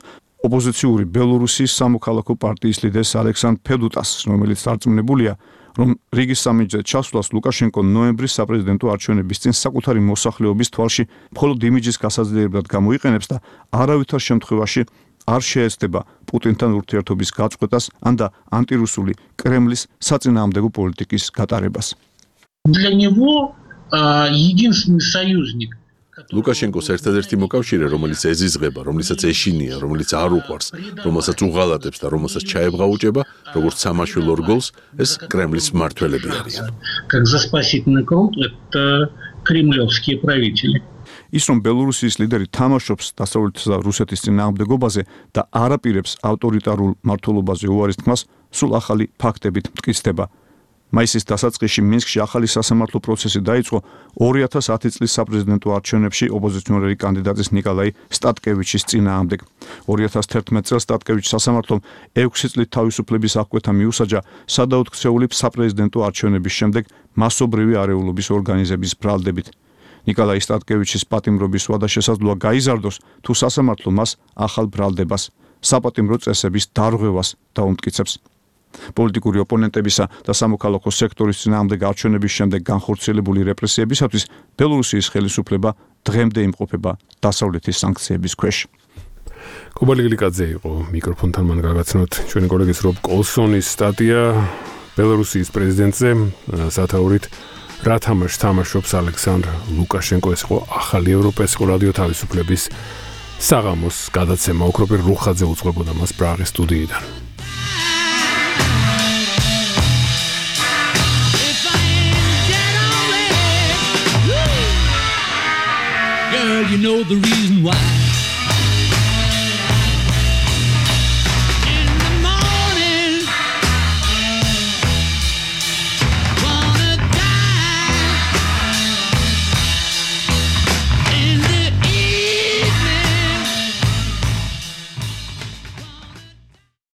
ოპოზიციური ბელორუსიის სამოქალაქო პარტიის ლიდერს ალექსანდრ ფედუტას, რომელიც დარწმუნებულია, რომ რიგის სამიტზე ჩასვლას ლუკაშენკო ნოემბრის საპრეზიდენტო არჩევნების წინ საკუთარი მოსახლეობის თვალში მხოლოდ იმიჯის გასაძლიერებლად გამოიყენებს და არავითარ შემთხვევაში არ შეეცდება პუტინთან ურთიერთობის გაწყვეტას ან და ანტირუსული კრემლის საწინააღმდეგო პოლიტიკის გატარებას. Для него единственный союзник ლუკაშენკოს ერთადერთი მოკავშირე, რომელიც ეზიზღება, რომელსაც ეშინია, რომელიც არ უყვარს, რომელსაც უღალატებს და რომელსაც ჩაებღაუჭება, როგორც სამაშველო რგოლს, ეს კრემლის მმართველები არიან. Как за спасительный круг это кремлевские правители. ის რომ ბელორუსიის ლიდერი თამაშობს დასავლეთის და რუსეთის წინააღმდეგობაზე და არაპირებს ავტორიტარულ მმართველობაზე უარის თქმას, სულ ახალი ფაქტებით მტკიცდება. მაისის დასაწყისში მინსკში ახალი სასამართლო პროცესი დაიწყო 2010 წლის საპრეზიდენტო არჩევნებში ოპოზიციონერი კანდიდატის ნიკოლაი სტატკევიჩის წინააღმდეგ. 2011 წელს სტატკევიჩის სასამართლომ 6 წლით თავისუფლების აღკვეთა მიუსაჯა სადაუთხცეული საპრეზიდენტო არჩევნების შემდეგ მასობრივი არეულობის ორგანიზების ბრალდებით. ნიკოლაი სტატკევიჩის პატიმრობის ვადა შესაძლოა გაიზარდოს, თუ სასამართლო მას ახალ ბრალდებას, საპატიმრო წესების დარღვევას დაუმტკიცებს. პოლიტიკური ოპონენტებისა და სამოქალაქო სექტორის წინააღმდეგ არჩევნების შემდეგ განხორციელებული რეპრესიებისათვის ბელორუსიის ხელისუფლება დღემდე იმყოფება დასავლეთის სანქციების ქვეშ. კუბალი გლიკაძე იყო მიკროფონთან მან გაგაცნოთ ჩვენი კოლეგის რობ კოლსონის სტატია ბელორუსიის პრეზიდენტზე სათაურით რა თამაშს თამაშობს ალექსანდრ ლუკაშენკო, ეს იყო ახალი ევროპა, ეს იყო რადიო თავისუფლების საღამოს გადაცემა, ოქროპირ რუხაძე უძღვებოდა მას პრაღის სტუდიიდან. You know the reason why